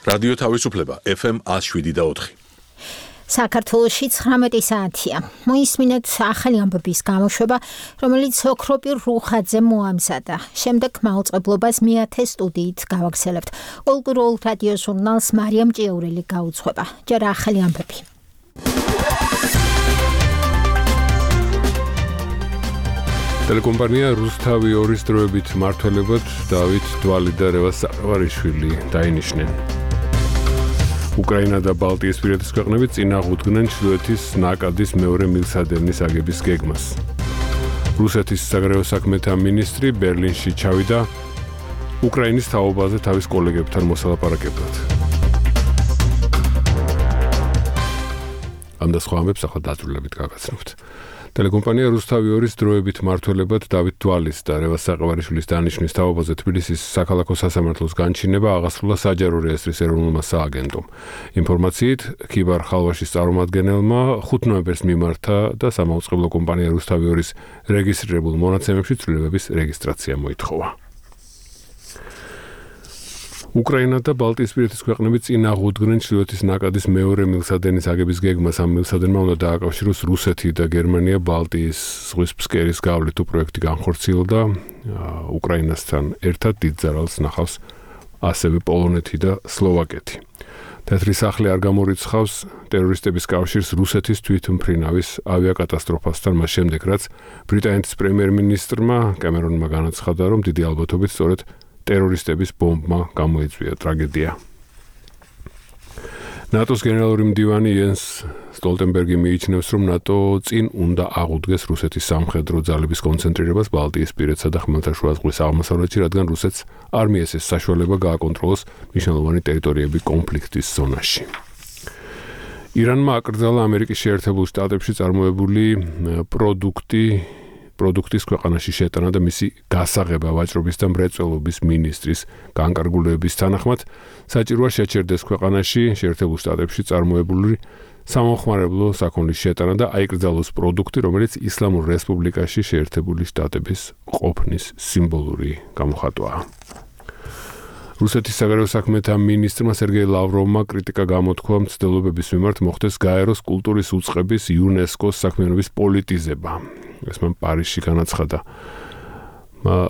რადიო თავისუფლება FM 107.4. საქართველოში 19 საათია. მოისმინეთ ახალი ამბების გამოშვება, რომელიც ოქროპირ რუხაძე მოამზადა. შემდეგ მაუწყებლობას მეათე სტუდიით გავაგრძელებთ. კულტურულ რადიო ჟურნალს მარიამ ჭიაურელი გაუძღვება. ჯერ ახალი ამბები. ტელეკომპანია რუსთავი 2-ის დროებით მმართველებად დავით დვალი და რევაზ საყარაშვილი დაინიშნენ. უკრაინა და ბალტიისპირეთის ქვეყნები წინააღმდნენ ჩრდილოეთის ნაკადის მეორე მილსადენის აგების გეგმას. რუსეთის საგარეო საქმეთა მინისტრი ბერლინში ჩავიდა უკრაინის თაობაზე თავის კოლეგებთან მოსალაპარაკებლად. ამ და სხვა ამბებს ახლა დაწვრილებით გაგაცნობთ. ტელეკომპანია რუსთავი 2-ის დროებით მმართველებად დავით დვალის და რევაზ საყარაშვილის დანიშვნის თაობაზე თბილისის საქალაქო სასამართლოს განჩინება აღასრულა საჯარო რეესტრის ეროვნულმა სააგენტომ. ინფორმაციით, ქიბარ ხალვაშის წარმომადგენელმა 5 ნოემბერს მიმართა და სამაუწყებლო კომპანია რუსთავი 2-ის რეგისტრირებულ მონაცემებში ცვლილებების რეგისტრაცია მოითხოვა. უკრაინა და ბალტიისპირეთის ქვეყნები წინააღმდნენ ჩრდილოეთის ნაკადის მეორე მილსადენის აგების გეგმას. ამ მილსადენმა უნდა დააკავშიროს რუსეთი და გერმანია ბალტიის ზღვის ფსკერის გავლით. თუ პროექტი განხორციელდა, უკრაინასთან ერთად დიდ ზარალს ნახავს ასევე პოლონეთი და სლოვაკეთი. თეთრი სახლი არ გამორიცხავს ტერორისტების კავშირს რუსეთის თვითმფრინავის ავიაკატასტროფასთან, მას შემდეგ რაც ბრიტანეთის პრემიერ-მინისტრმა კემერონმა განაცხადა, რომ დიდი ალბათობით სწორედ ტერორისტების ბომბმა გამოიწვია ტრაგედია. ნატოს გენერალური მდივანი იენს სტოლტენბერგი მიიჩნევს, რომ ნატო წინ უნდა აღუდგეს რუსეთის სამხედრო ძალების კონცენტრირებას ბალტიისპირეთსა და ხმელთაშუა ზღვის აღმოსავლეთში, რადგან რუსეთს არ მიეცეს საშუალება გააკონტროლოს მნიშვნელოვანი ტერიტორიები კონფლიქტის ზონაში. ირანმა აკრძალა ამერიკის შეერთებულ შტატებში წარმოებული პროდუქტის ქვეყანაში შეტანა და მისი გასაღება ვაჭრობის და მრეწველობის მინისტრის განკარგულების თანახმად საჭიროა შეჩერდეს ქვეყანაში შეერთებულ შტატებში წარმოებული სამომხმარებლო საქონლის შეტანა და აიკრძალოს პროდუქტი, რომელიც ისლამურ რესპუბლიკაში შეერთებული შტატების ყოფნის სიმბოლური გამოხატვაა. რუსეთის საგარეო საქმეთა მინისტრმა სერგეი ლავროვმა კრიტიკა გამოთქვა მცდელობების მიმართ მოხდეს გაეროს კულტურის უწყების იუნესკოს საქმიანობის პოლიტიზება. ეს მან პარიზში განაცხადა.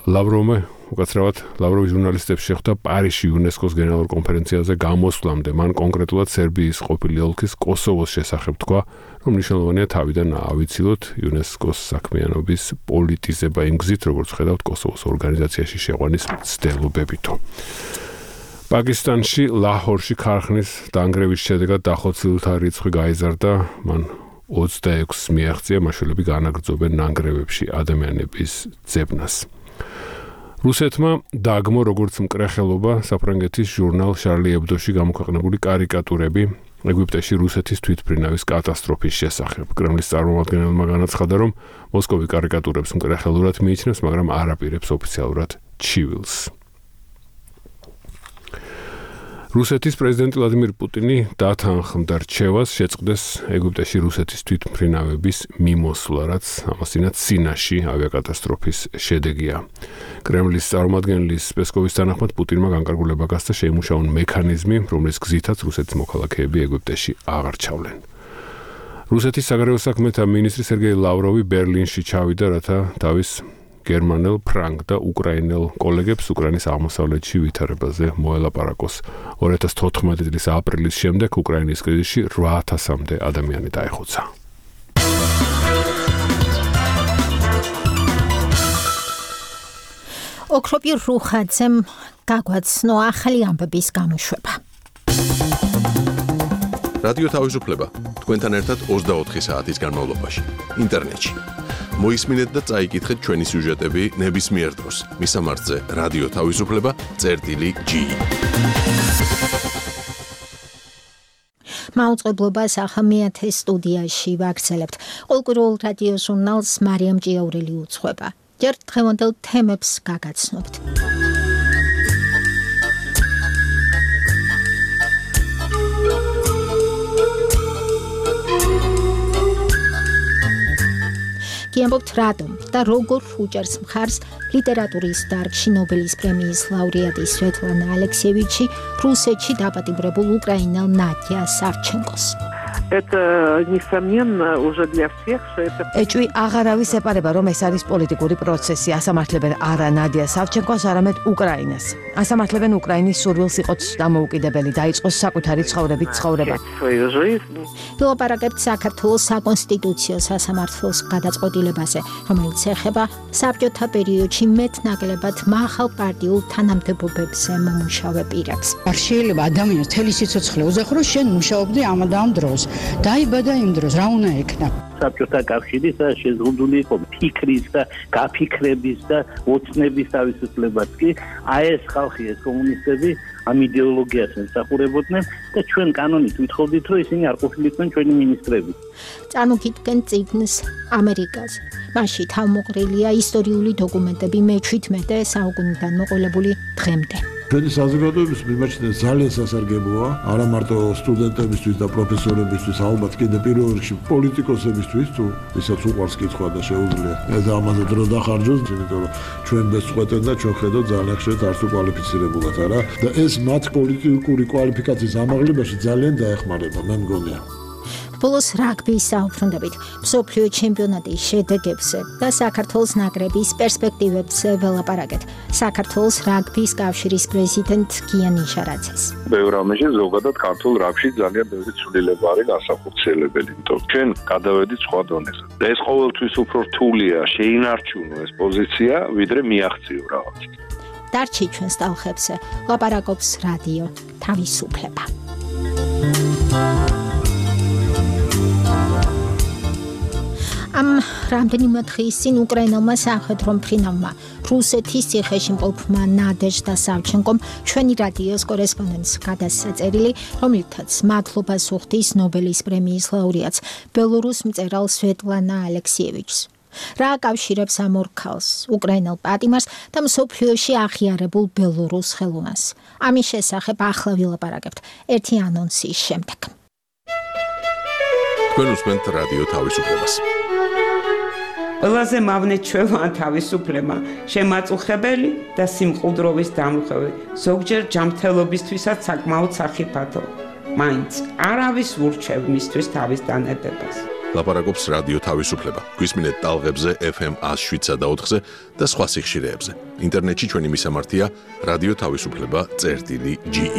ლავროვი ჟურნალისტებს შეხვდა პარიზში იუნესკოს გენერალურ კონფერენციაზე გამოსვლამდე. მან კონკრეტულად სერბიის ყოფილი ოლქის კოსოვოს შესახებ თქვა, რომ მნიშვნელოვანია თავიდან ავიცილოთ იუნესკოს საქმიანობის პოლიტიზება იმ გზით, როგორც ხედავთ კოსოვოს ორგანიზაციაში შეყვანის მცდელობებითო. პაკისტანში ლაჰორში ქარხნის დანგრევის შედეგად დახოცილთა რიცხვი გაიზარდა, მან 26 მიაღწია, მაშველები განაგრძობენ ნანგრევებში ადამიანების ძებნას. რუსეთმა დაგმო როგორც მკრეხელობა საფრანგეთის ჟურნალ შარლი ებდოში გამოქვეყნებული კარიკატურები ეგვიპტეში რუსეთის თვითმფრინავის კატასტროფის შესახებ. კრემლის წარმომადგენელმა განაცხადა, რომ მოსკოვი კარიკატურებს მკრეხელურად მიიჩნევს, მაგრამ არ აპირებს ოფიციალურად ჩივილს. რუსეთის პრეზიდენტი ვლადიმირ პუტინი დათანხმდა რჩევას შეწყდეს ეგვიპტეში რუსეთის თვითმფრინავების მიმოსვლა, რაც ამასთანავე სინაში ავიაკატასტროფის შედეგია. კრემლის წარმომადგენლის პესკოვის თანახმად პუტინმა განკარგულება გასცა შეიმუშაონ მექანიზმი, რომლის გზითაც რუსეთის მოქალაქეები ეგვიპტეში აღარ ჩავლენ. რუსეთის საგარეო საქმეთა მინისტრი სერგეი ლავროვი ბერლინში ჩავიდა, რათა თავის გერმანელ, ფრანგ და უკრაინელ კოლეგებს უკრაინის აღმოსავლეთში ვითარებაზე მოელაპარაკოს. 2014 წლის აპრილის შემდეგ უკრაინის კრიზისში 8000-მდე ადამიანი დაიხოცა. ოქროპირ რუხაძემ გაგვაცნო ახალი ამბების გამოშვება. რადიო თავისუფლება თქვენთან ერთად 24 საათის განმავლობაში ინტერნეტში. მოისმინეთ და წაიკითხეთ ჩვენი სიუჟეტები ნებისმიერ დროს. მისამართზე რადიო თავისუფლება.gi. მაუწყებლობას ახლა მეათე სტუდიაში ვაგრძელებთ. კულტურულ რადიო ჟურნალს მარიამ ჭიაურელი უძღვება. ჯერ დღევანდელ თემებს გაგაცნობთ. გიამბობთ რატომ და როგორ უჭერს მხარს ლიტერატურის დარგში ნობელის პრემიის ლაურეატი სვეტლანა ალექსიევიჩი რუსეთში დაპატიმრებულ უკრაინელ ნადია სავჩენკოს. Это, несомненно, уже для всех, что это... ეჭვი აღარავის ეპარება, რომ ეს არის პოლიტიკური პროცესი. ასამართლებენ არა ნადია სავჩენკოს, არამედ უკრაინას. ასამართლებენ უკრაინის სურვილს იყოს დამოუკიდებელი, დაიწყოს საკუთარი ცხოვრებით ცხოვრება. ვილაპარაკებთ საქართველოს საკონსტიტუციო სასამართლოს გადაწყვეტილებაზე, რომელიც ეხება საბჭოთა პერიოდში მეტნაკლებად მაღალ პარტიულ თანამდებობებზე მომუშავე პირებს. არ შეიძლება ადამიანს თელი სიცოცხლე უზახრო, შენ მუშაობდი ამ და ამ დროს. დაიბადა იმ დროს, რა უნდა ეკნა? საბჭოთა კავშირის შეზღუდული იყო ფიქრის და გაფიქრების და ოცნების თავისუფლებაც კი აი ეს ხალხი ეს კომუნისტები ამ იდეოლოგიას ემსახურებოდნენ და ჩვენ კანონით ვითხოვდით რომ ისინი არ ყოფილიყვნენ ჩვენი მინისტრები. წარმოგიდგენ წიგნს ამერიკაზე. მასში თავმოყრილია ისტორიული დოკუმენტები მე-17 საუკუნიდან მოყოლებული დღემდე. ჩვენი საზოგადოების მიმაჩნია ძალიან სასარგებლოა, არა მარტო სტუდენტებისთვის და პროფესორებისთვის, ალბათ კიდე პირველ რიგში პოლიტიკოსებისთვის, თუ ისაც უყვარს კითხვა და შეუძლია და ამაზე დრო დახარჯოს, იმიტომ რომ ჩვენ ბეწყვეტენ და ჩვენ ხედავთ ძალიან ხშირად არც უკვალიფიცირებულად, არა? და ეს მათ პოლიტიკური კვალიფიკაციის ამაღლებაში ძალიან დაეხმარება, მე მგონია. ბოლოს რაგბის საუბრობთ მსოფლიო ჩემპიონატის შედეგებზე და საქართველოს ნაკრების პერსპექტივებზე ველაპარაკეთ. საქართველოს რაგბის კავშირის პრეზიდენტ გიანი ჟარაძეს. ბევრ რამეში ზოგადად ქართულ რაგბში ძალიან ბევრი ცვლილება არის განსახორციელებელი, იმიტომ ჩვენ გადავედით სხვა დონეზე. და ეს ყოველთვის უფრო რთულია შეინარჩუნო ეს პოზიცია, ვიდრე მიაღწიო რაღაც. დარჩი ჩვენს ტალღებზე ლაპარაკობს რადიო თავისუფლება. ამ რამდენიმე დღის წინ უკრაინელმა სამხედრო მფრინავმა რუსეთის ციხეში მყოფმა ნადეჟდა სავჩენკომ ჩვენი რადიოს კორესპონდენტს გადასცა წერილი, რომლითაც მადლობას უხდის ნობელის პრემიის ლაურეატს ბელორუს მწერალ სვეტლანა ალექსიევიჩს. რა აკავშირებს ამ ორ ქალს, უკრაინელ პატიმარს და მსოფლიოში აღიარებულ ბელორუს ხელოვნას. ამის შესახებ ახლა ვილაპარაკებთ ერთი ანონსის შემდეგ. თქვენ უსმენთ რადიო თავისუფლებას. ყველაზე მავნე ჩვევა თავისუფლება, შემაწუხებელი და სიმყუდროვის დამრღვევი, ზოგჯერ ჯანმრთელობისთვისაც საკმაოდ სახიფათო. მაინც არავის ურჩევ მისთვის თავის დანებებას. ლაპარაკობს რადიო თავისუფლება. გვისმინეთ ტალღებზე FM 107.4-ზე და სხვა სიხშირეებზე. ინტერნეტში ჩვენი მისამართია რადიო თავისუფლება.ge.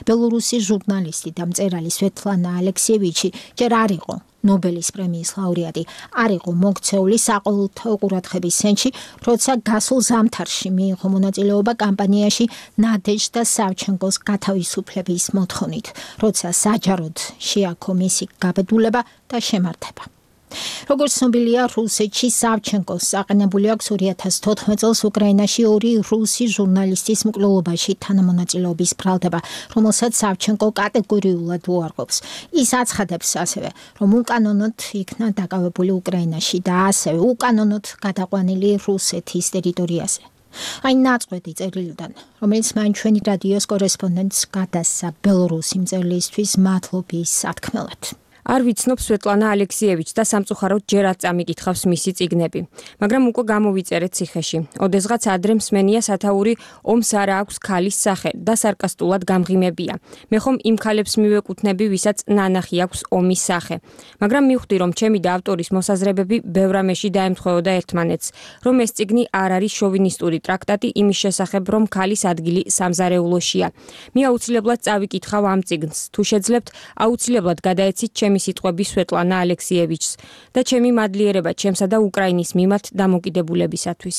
ბელორუსის ჟურნალისტი და მწერალი სვეტლანა ალექსიევიჩი ჯერ არ იყო ნობელის პრემიის ლაურეატი, არ იყო მოქცეული საყოველთაო ყურადღების ცენტრში, როცა გასულ ზამთარში მიიღო მონაწილეობა კამპანიაში ნადეჟდა სავჩენკოს გათავისუფლების მოთხოვნით, როცა საჯაროდ შეაქო მისი გაბედულება და შემართება. როგორც ცნობილია, რუსეთში სავჩენკოს საყენებული აქვს 2014 წელს უკრაინაში ორი რუსი ჟურნალისტის მკვლელობაში თანამონაწილეობის ბრალდება, რომელსაც სავჩენკო კატეგორიულად უარყოფს. ის აცხადებს ასევე, რომ უკანონოდ იქნა დაკავებული უკრაინაში და ასევე უკანონოდ გადაყვანილი რუსეთის ტერიტორიაზე. აი ნაწყვეტი წერილიდან, რომელიც მან ჩვენი რადიოს კორესპონდენტს გადასცა ბელორუსი მწერლისთვის მადლობის სათქმელად. არ ვიცნობ სვეტლანა ალექსიევიჩს და სამწუხაროდ ჯერაც წამიკითხავს მისი წიგნები, მაგრამ უკვე გამოვიწერეთ ციხეში. ოდესღაც ადრე მსმენია სათაური ომს არა აქვს ქალის სახე და სარკასტულად გამღიმებია. მე ხომ იმ ქალებს მივეკუთვნები, ვისაც ნანახი აქვს ომის სახე. მაგრამ მივხვდი, რომ ჩემი და ავტორის მოსაზრებები ბევრ რამეში დაემთხვეოდა ერთმანეთს, რომ ეს წიგნი არ არის შოვინისტური ტრაქტატი იმის შესახებ, რომ ქალის ადგილი სამზარეულოშია. მე აუცილებლად წავიკითხავ ამ წიგნს. თუ შეძლებთ, აუცილებლად გადაეცით ჩემი სიტყვები სვეტლანა ალექსიევიჩს და ჩემი მადლიერება ჩემსა და უკრაინის მიმართ დამოკიდებულებისათვის.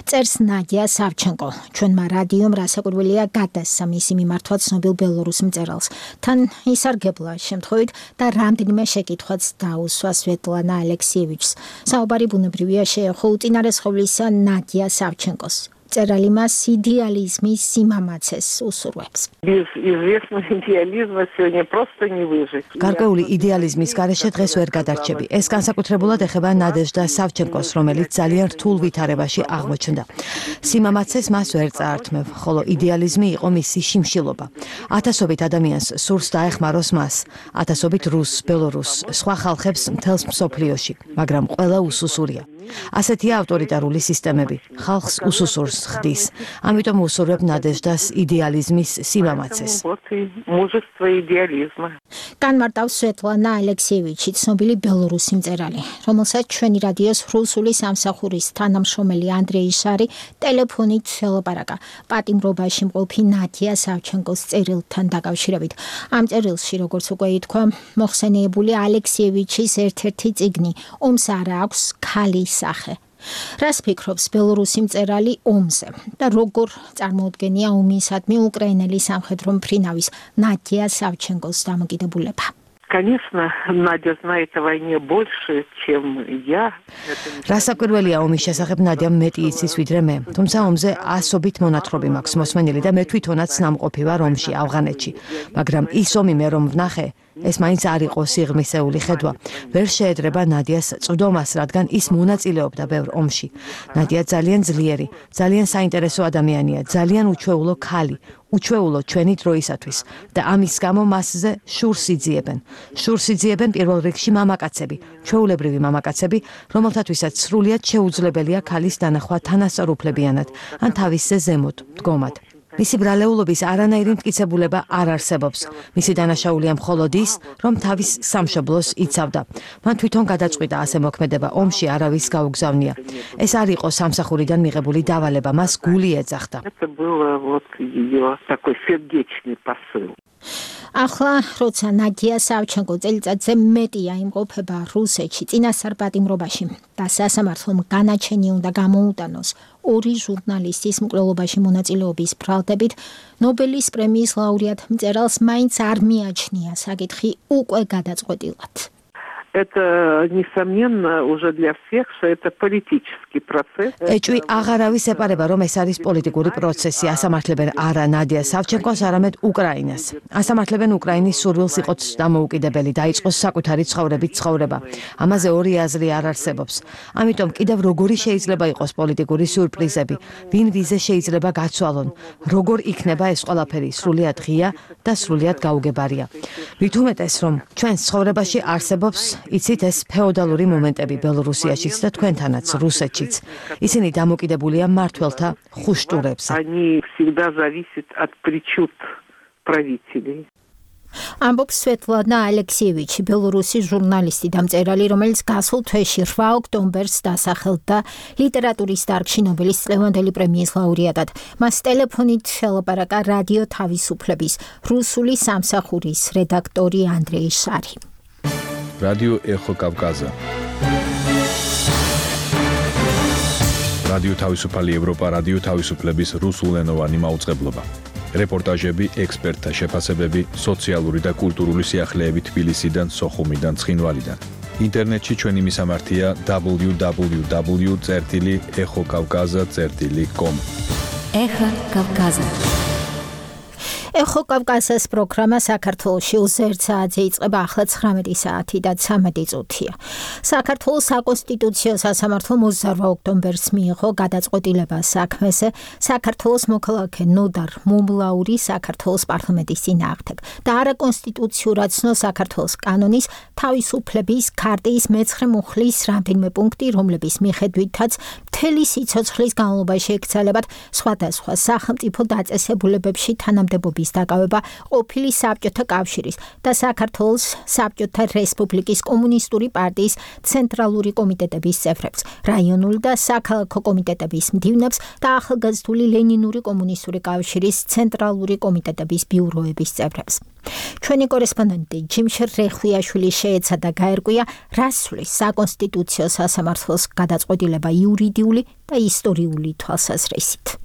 წერს ნადია სავჩენკო. ჩვენმა რადიომ რასაკვირველია გადასცა მისი მიმართვა ცნობილ ბელორუს მწერალს. თან ისარგებლა შემთხვევით და რამდენიმე შეკითხვაც დაუსვა სვეტლანა ალექსიევიჩს. საუბარი ბუნებრივია შეეხო უწინარესხოვლისა ნადია სავჩენკოს. მწერალი მას იდეალიზმის სიმამაცეს უსურვებს. Без известного идеализма сегодня просто не выжить. გარკვეული იდეალიზმის გარეშე დღეს ვერ გადარჩები. ეს განსაკუთრებულად ეხება ნადეჟდა სავჩენკოს, რომელიც ძალიან რთულ ვითარებაში აღმოჩნდა. სიმამაცეს მას ვერ წაართმევ, ხოლო იდეალიზმი იყო მისი შიმშილობა. ათასობით ადამიანს სურს დაეხმაროს მას, ათასობით რუსს, ბელორუსს, სხვა ხალხებს მთელს მსოფლიოში, მაგრამ ყველა უსუსურია. ასეთია ავტორიტარული სისტემები, ხალხს უსუსურს ხდის. ამიტომ უსურვებ ნადეჟდას იდეალიზმის სიმამაცეს. Мужество идеализма. განმარტავს სვეტლანა ალექსიევიჩი, ცნობილი ბელორუსი მწერალი, რომელსაც ჩვენი რადიოს რუსული სამსახურის თანამშრომელი ანდრეი შარი ტელეფონით ელაპარაკა პატიმრობაში მყოფი ნადია სავჩენკოს წერილთან დაკავშირებით. ამ წერილში, როგორც უკვე ითქვა, მოხსენიებული ალექსიევიჩის ერთ-ერთი წიგნი ომს არა აქვს ქალის სახე. რას ფიქრობს ბელორუსი მწერალი ომზე და როგორ წარმოუდგენია ომისადმი უკრაინელი სამხედრო მფრინავის ნადია სავჩენკოს დამოკიდებულება? Конечно, Надя знает о войне больше, чем я. რასაკვირველია ომის შესახებ ნადიამ მეტი იცის ვიდრე მე. თუმცა ომზე ასობით მონათხრობი მაქვს მოსმენილი და მე თვითონაც ნამყოფი ვარ ომში, ავღანეთში. მაგრამ ის ომი მე რომ ვნახე, ეს მაინც არ იყო სიღრმისეული ხედვა. ვერ შეედრება ნადიას წვდომას, რადგან ის მონაწილეობდა ბევრ ომში. ნადია ძალიან ძლიერი, ძალიან საინტერესო ადამიანია, ძალიან უჩვეულო ქალი. უჩვეულო ჩვენი დროისათვის და ამის გამო მასზე შურს იძიებენ. შურს იძიებენ პირველ რიგში მამაკაცები, ჩვეულებრივი მამაკაცები, რომელთათვისაც სრულიად შეუძლებელია ქალის დანახვა თანასწორუფლებიანად ან თავისზე ზემოთ, დგომად. მისი ბრალეულობის არანაირი მტკიცებულება არ არსებობს. მისი დანაშაულია მხოლოდ ის, რომ თავის სამშობლოს იცავდა. მან თვითონ გადაწყვიტა ასე მოქმედება ომში არავის გაუგზავნია. ეს არ იყო სამსახურიდან მიღებული დავალება, მას გული ეძახდა. Это было вот ее такой сердечный посыл. ახლა როცა ნადია სავჩენკო წელიწადზე მეტია იმყოფება რუსეთში წინასწარ პატიმრობაში და სასამართლომ განაჩენი უნდა გამოუტანოს ორი ჟურნალისტის მკვლელობაში მონაწილეობის ბრალდებით, ნობელის პრემიის ლაურეატ მწერალს მაინც არ მიაჩნია საკითხი უკვე გადაწყვეტილად. Это, несомненно, уже для всех, что это политический процесс. ეჭვი აღარავის ეპარება, რომ ეს არის პოლიტიკური პროცესი. ასამართლებენ არა ნადია სავჩენკოს, არამედ უკრაინას. ასამართლებენ უკრაინის სურვილს იყოთ დამოუკიდებელი, დაიწყოს საკუთარი ცხოვრებით ცხოვრება. ამაზე ორი აზრი არ არსებობს. ამიტომ კიდევ როგორი შეიძლება იყოს პოლიტიკური სიურპრიზები, ვინ ვიზე შეიძლება გაცვალონ, როგორ იქნება ეს ყველაფერი სრულიად ღია და სრულიად გაუგებარია. მით უმეტეს, რომ ჩვენს ცხოვრებაში არსებობს იცით ეს ფეოდალური მომენტები ბელორუსიაშიც და თქვენთანაც რუსეთშიც. ისინი დამოკიდებულია მმართველთა ხუშტურებზე. Они всегда зависят от причуд правителей. ამბობს სვეტლანა ალექსიევიჩი, ბელორუსი ჟურნალისტი და მწერალი, რომელიც გასულ თვეში 8 ოქტომბერს დასახელდა ლიტერატურის დარგში ნობელის წლევანდელი პრემიის ლაურეატად. მას ტელეფონით ელაპარაკა რადიო თავისუფლების რუსული სამსახურის რედაქტორი ანდრეი შარი. რადიო ეხო კავკაზა. რადიო თავისუფალი ევროპა, რადიო თავისუფლების რუსულენოვანი მაუწყებლობა. რეპორტაჟები, ექსპერტთა შეფასებები, სოციალური და კულტურული სიახლეები თბილისიდან, სოხუმიდან, ცხინვალიდან. ინტერნეტში ჩვენი მისამართია www.ეხოკავკაზა.com. ეხა კავკაზა. ეხო კავკასიის პროგრამა საქართველოში 21 საათზე იწყება, ახლა 19 საათი და 13 წუთია. საქართველოს საკონსტიტუციო სასამართლომ 28 ოქტომბერს მიიღო გადაწყვეტილება საქმეზე საქართველოს მოქალაქე ნოდარ მომლაური საქართველოს პარლამენტის წინააღმდეგ და არაკონსტიტუციურად ცნო საქართველოს კანონის თავისუფლების ქარტიის მე-9 მუხლის რამდენიმე პუნქტი, რომლების მიხედვითაც მთელი სიცოცხლის განმავლობაში ეკრძალებათ სხვადასხვა სახელმწიფო დაწესებულებებში თანამდებობის დაკავება ყოფილი საბჭოთა კავშირის და საქართველოს საბჭოთა რესპუბლიკის კომუნისტური პარტიის ცენტრალური კომიტეტების წევრებს, რაიონული და საქალაქო კომიტეტების მდივნებს და ახალგაზრდული ლენინური კომუნისტური კავშირის ცენტრალური კომიტეტების ბიუროების წევრებს. ჩვენი კორესპონდენტი ჯიმშერ რეხვიაშვილი შეეცადა გაერკვია, რას სვლის საკონსტიტუციო სასამართლოს გადაწყვეტილება იურიდიული და ისტორიული თვალსაზრისით.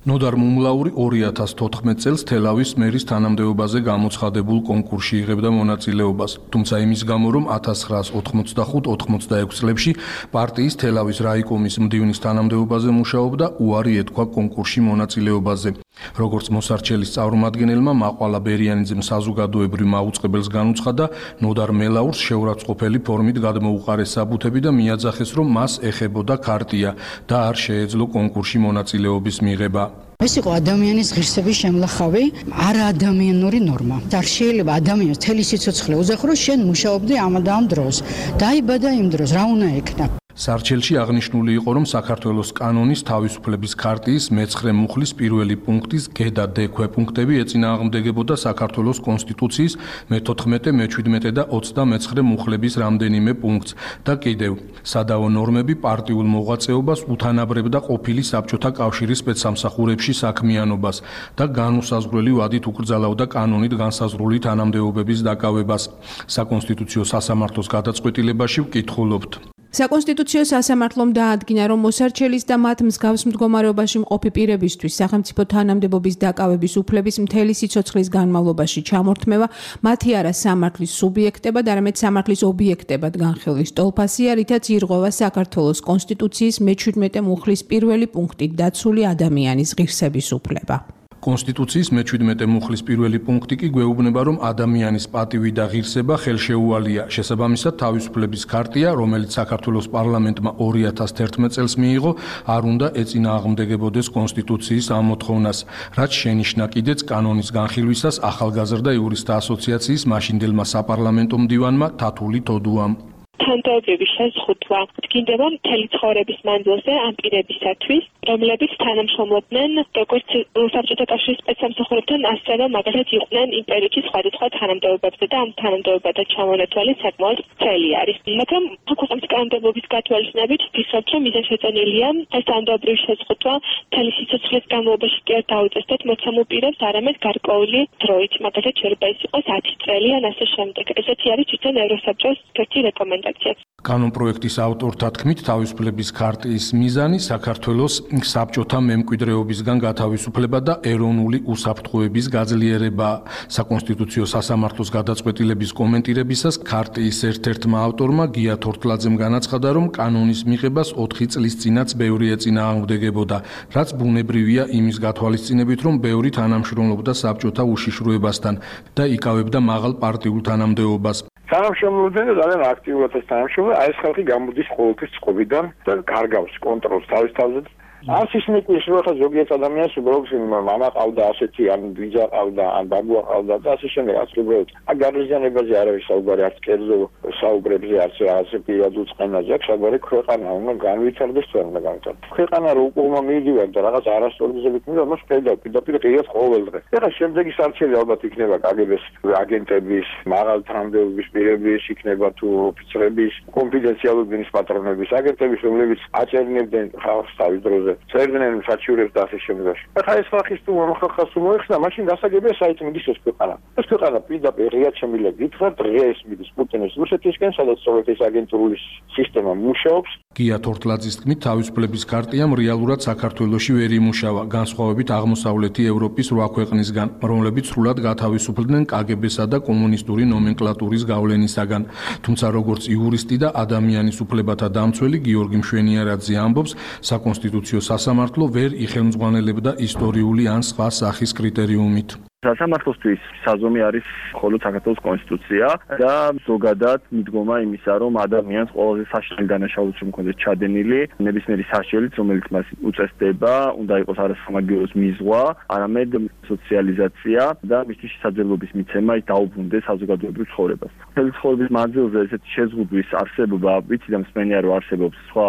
ნოდარ მუმლაური 2014 წელს თელავის მერის თანამდებობაზე გამოცხადებულ კონკურსში იღებდა მონაწილეობას, თუმცა იმის გამო, რომ 1985-86 წლებში პარტიის თელავის რაიკომის მდივნის თანამდებობაზე მუშაობდა, უარი ეთქვა კონკურსში მონაწილეობაზე. როგორც მოსარჩელის წარმომადგენელმა მაყვალა ბერიანიძემ საზოგადოებრივ მაუწყებელს განუცხადა, ნოდარ მელაურს შეურაცხყოფელი ფორმით გადმოუყარეს საბუთები და მიაძახეს, რომ მას ეხებოდა ქარტია და არ შეეძლო კონკურსში მონაწილეობის მიღება. ეს იყო ადამიანის ღირსების შემლახავი არაადამიანური ნორმა. არ შეიძლება ადამიანს თელი სიცოცხლე უზახუროს, შენ მუშაობდი ამ და ამ დროს. დაიბადა იმ დროს, რა უნდა ეკნა? სარჩელში აღნიშნული იყო, რომ საქართველოს კანონის თავისუფლების ქარტიის მე-9 მუხლის პირველი პუნქტის გ და დ ქვეპუნქტები ეწინააღმდეგებოდა საქართველოს კონსტიტუციის მე-14, მე-17 და 29 მუხლების რამდენიმე პუნქტს და კიდევ სადავო ნორმები პარტიულ მოღვაწეობას უთანაბრებდა ყოფილი საბჭოთა კავშირის სპეცსამსახურებში საქმიანობას და განუსაზღვრელი ვადით უკრძალავდა კანონით განსაზღვრული თანამდებობების დაკავებას. საკონსტიტუციო სასამართლოს გადაწყვეტილებაში ვკითხულობთ. საკონსტიტუციო სასამართლომ დაადგინა, რომ მოსარჩელის და მათ მსგავს მდგომარეობაში მყოფი პირებისთვის სახელმწიფო თანამდებობის დაკავების უფლების მთელი სიცოცხლის განმავლობაში ჩამორთმევა მათი არა სამართლის სუბიექტებად, არამედ სამართლის ობიექტებად განხილვის ტოლფასია, რითაც ირღვევა საქართველოს კონსტიტუციის მე-17 მუხლის პირველი პუნქტით დაცული ადამიანის ღირსების უფლება. კონსტიტუციის მე-17 მუხლის პირველი პუნქტი კი გვეუბნება, რომ ადამიანის პატივი და ღირსება ხელშეუვალია. შესაბამისად, თავისუფლების ქარტია, რომელიც საქართველოს პარლამენტმა 2011 წელს მიიღო, არ უნდა ეწინააღმდეგებოდეს კონსტიტუციის ამ მოთხოვნას, რაც შენიშნა კიდეც კანონის განხილვისას ახალგაზრდა იურისტთა ასოციაციის მაშინდელმა საპარლამენტო მდივანმა თათული თოდუამ. თანამდებობის შეზღუდვა დგინდება მთელი ცხოვრების მანძილზე ამ პირებისათვის, რომლებიც თანამშრომლობდნენ როგორც საბჭოთა კავშირის სპეცსამსახურებთან, ასევე მაგალითად იყვნენ იმ პერიოდში სხვადასხვა თანამდებობებზე და ამ თანამდებობათა ჩამონათვალი საკმაოდ ვრცელი არის. მაგრამ ქვეყნის კანონმდებლობის გათვალისწინებით ვფიქრობ, რომ მიზანშეწონილია ეს თანამდებობრივი შეზღუდვა მთელი სიცოცხლის განმავლობაში კი არ დაუწესდეთ მოცემულ პირებს, არამედ გარკვეული დროით, მაგალითად შეიძლება ის იყოს 10 წელი ან ასე შემდეგ. ესეთი არის თვითონ ევროსაბჭოს ერთი რეკომენდაცია. კანონპროექტის ავტორთა თქმით, თავისუფლების ქარტიის მიზანი საქართველოს საბჭოთა მემკვიდრეობისგან გათავისუფლება და ეროვნული უსაფრთხოების გაძლიერება. საკონსტიტუციო სასამართლოს გადაწყვეტილების კომენტირებისას ქარტიის ერთ-ერთმა ავტორმა გია თორთლაძემ განაცხადა, რომ კანონის მიღებას 4 წლის წინაც ბევრი ეწინააღმდეგებოდა, რაც ბუნებრივია იმის გათვალისწინებით, რომ ბევრი თანამშრომლობდა საბჭოთა უშიშროებასთან და იკავებდა მაღალ პარტიულ თანამდებობას. თანამშრომლობდნენ და ძალიან აქტიურად ეს თანამშრომლობა, აი ეს ხალხი გამოდის ყოველთვის წყობიდან და კარგავს კონტროლს თავის თავზე. არც ისინი კი შეიძლება ზოგიერთ ადამიანს უბრალოდ მამა ყავდა ასეთი, ან ბიძა ყავდა, ან ბაბუა ყავდა და ასე შემდეგ, რაც უბრალოდ გარიზიანებაზე არავის საუბარი, არც კერძო საუბრებზე, არც რაღაცე პირადულ წყენაზე აქვს საუბარი, ქვეყანა უნდა განვითარდეს თუ არ უნდა განვითარდეს. ქვეყანა რო უკუღმა მიდივარ და რაღაც არასწორიზებით მიდივარ, მას პირდაპირ ყიათ ყოველ დღე. ეხლა შემდეგი სარჩელი ალბათ იქნება კგბ-ს აგენტების, მაღალ თანამდებობის პირების, იქნება თუ ოფიცრების, კონფიდენციალური ბინის პატრონების, აგენტების, რომლებიც აჭერნებდნენ ხალხს თავის დროზე. წერდნენ საჩივრებს და ასე შემდეგ. ახლა ეს ხალხის თუ ხალხს თუ მოეხსნა, მაშინ გასაგებია საით მიდის ეს ქვეყანა. ეს ქვეყანა პირდაპირ ღია შემიძლია გითხრათ, დღეს მიდის პუტინის რუსეთისკენ, სადაც სოვიეთის აგენტურული სისტემა მუშაობს. გია თორთლაძის თქმით, თავისუფლების ქარტიამ რეალურად საქართველოში ვერ იმუშავა, განსხვავებით აღმოსავლეთი ევროპის 8 ქვეყნისგან, რომლებიც სრულად გათავისუფლდნენ კგბ-სა და კომუნისტური ნომენკლატურის გავლენისაგან. თუმცა როგორც იურისტი და ადამიანის უფლებათა დამცველი გიორგი მშვენიარაძე ამბობს, საკონსტიტუციო სასამართლო ვერ იხელმძღვანელებდა ისტორიული ან სხვა სახის კრიტერიუმით. სასამართლოსთვის საზომი არის მხოლოდ საქართველოს კონსტიტუცია და ზოგადად მიდგომა იმისა, რომ ადამიანს ყველაზე საშინელი დანაშაულიც რომ კონდეს ჩადენილი, ნებისმიერი საშელიც, რომელიც მას უწესდება, უნდა იყოს არა სამაგიეროს მიზღვა, არამედ სოციალიზაცია და მისთვის შესაძლებლობის მიცემა ის დაუბრუნდეს საზოგადოებრივ ცხოვრებას. მთელი ცხოვრების მანძილზე ესეთი შეზღუდვის არსებობა, ვიცი და მსმენია რომ არსებობს სხვა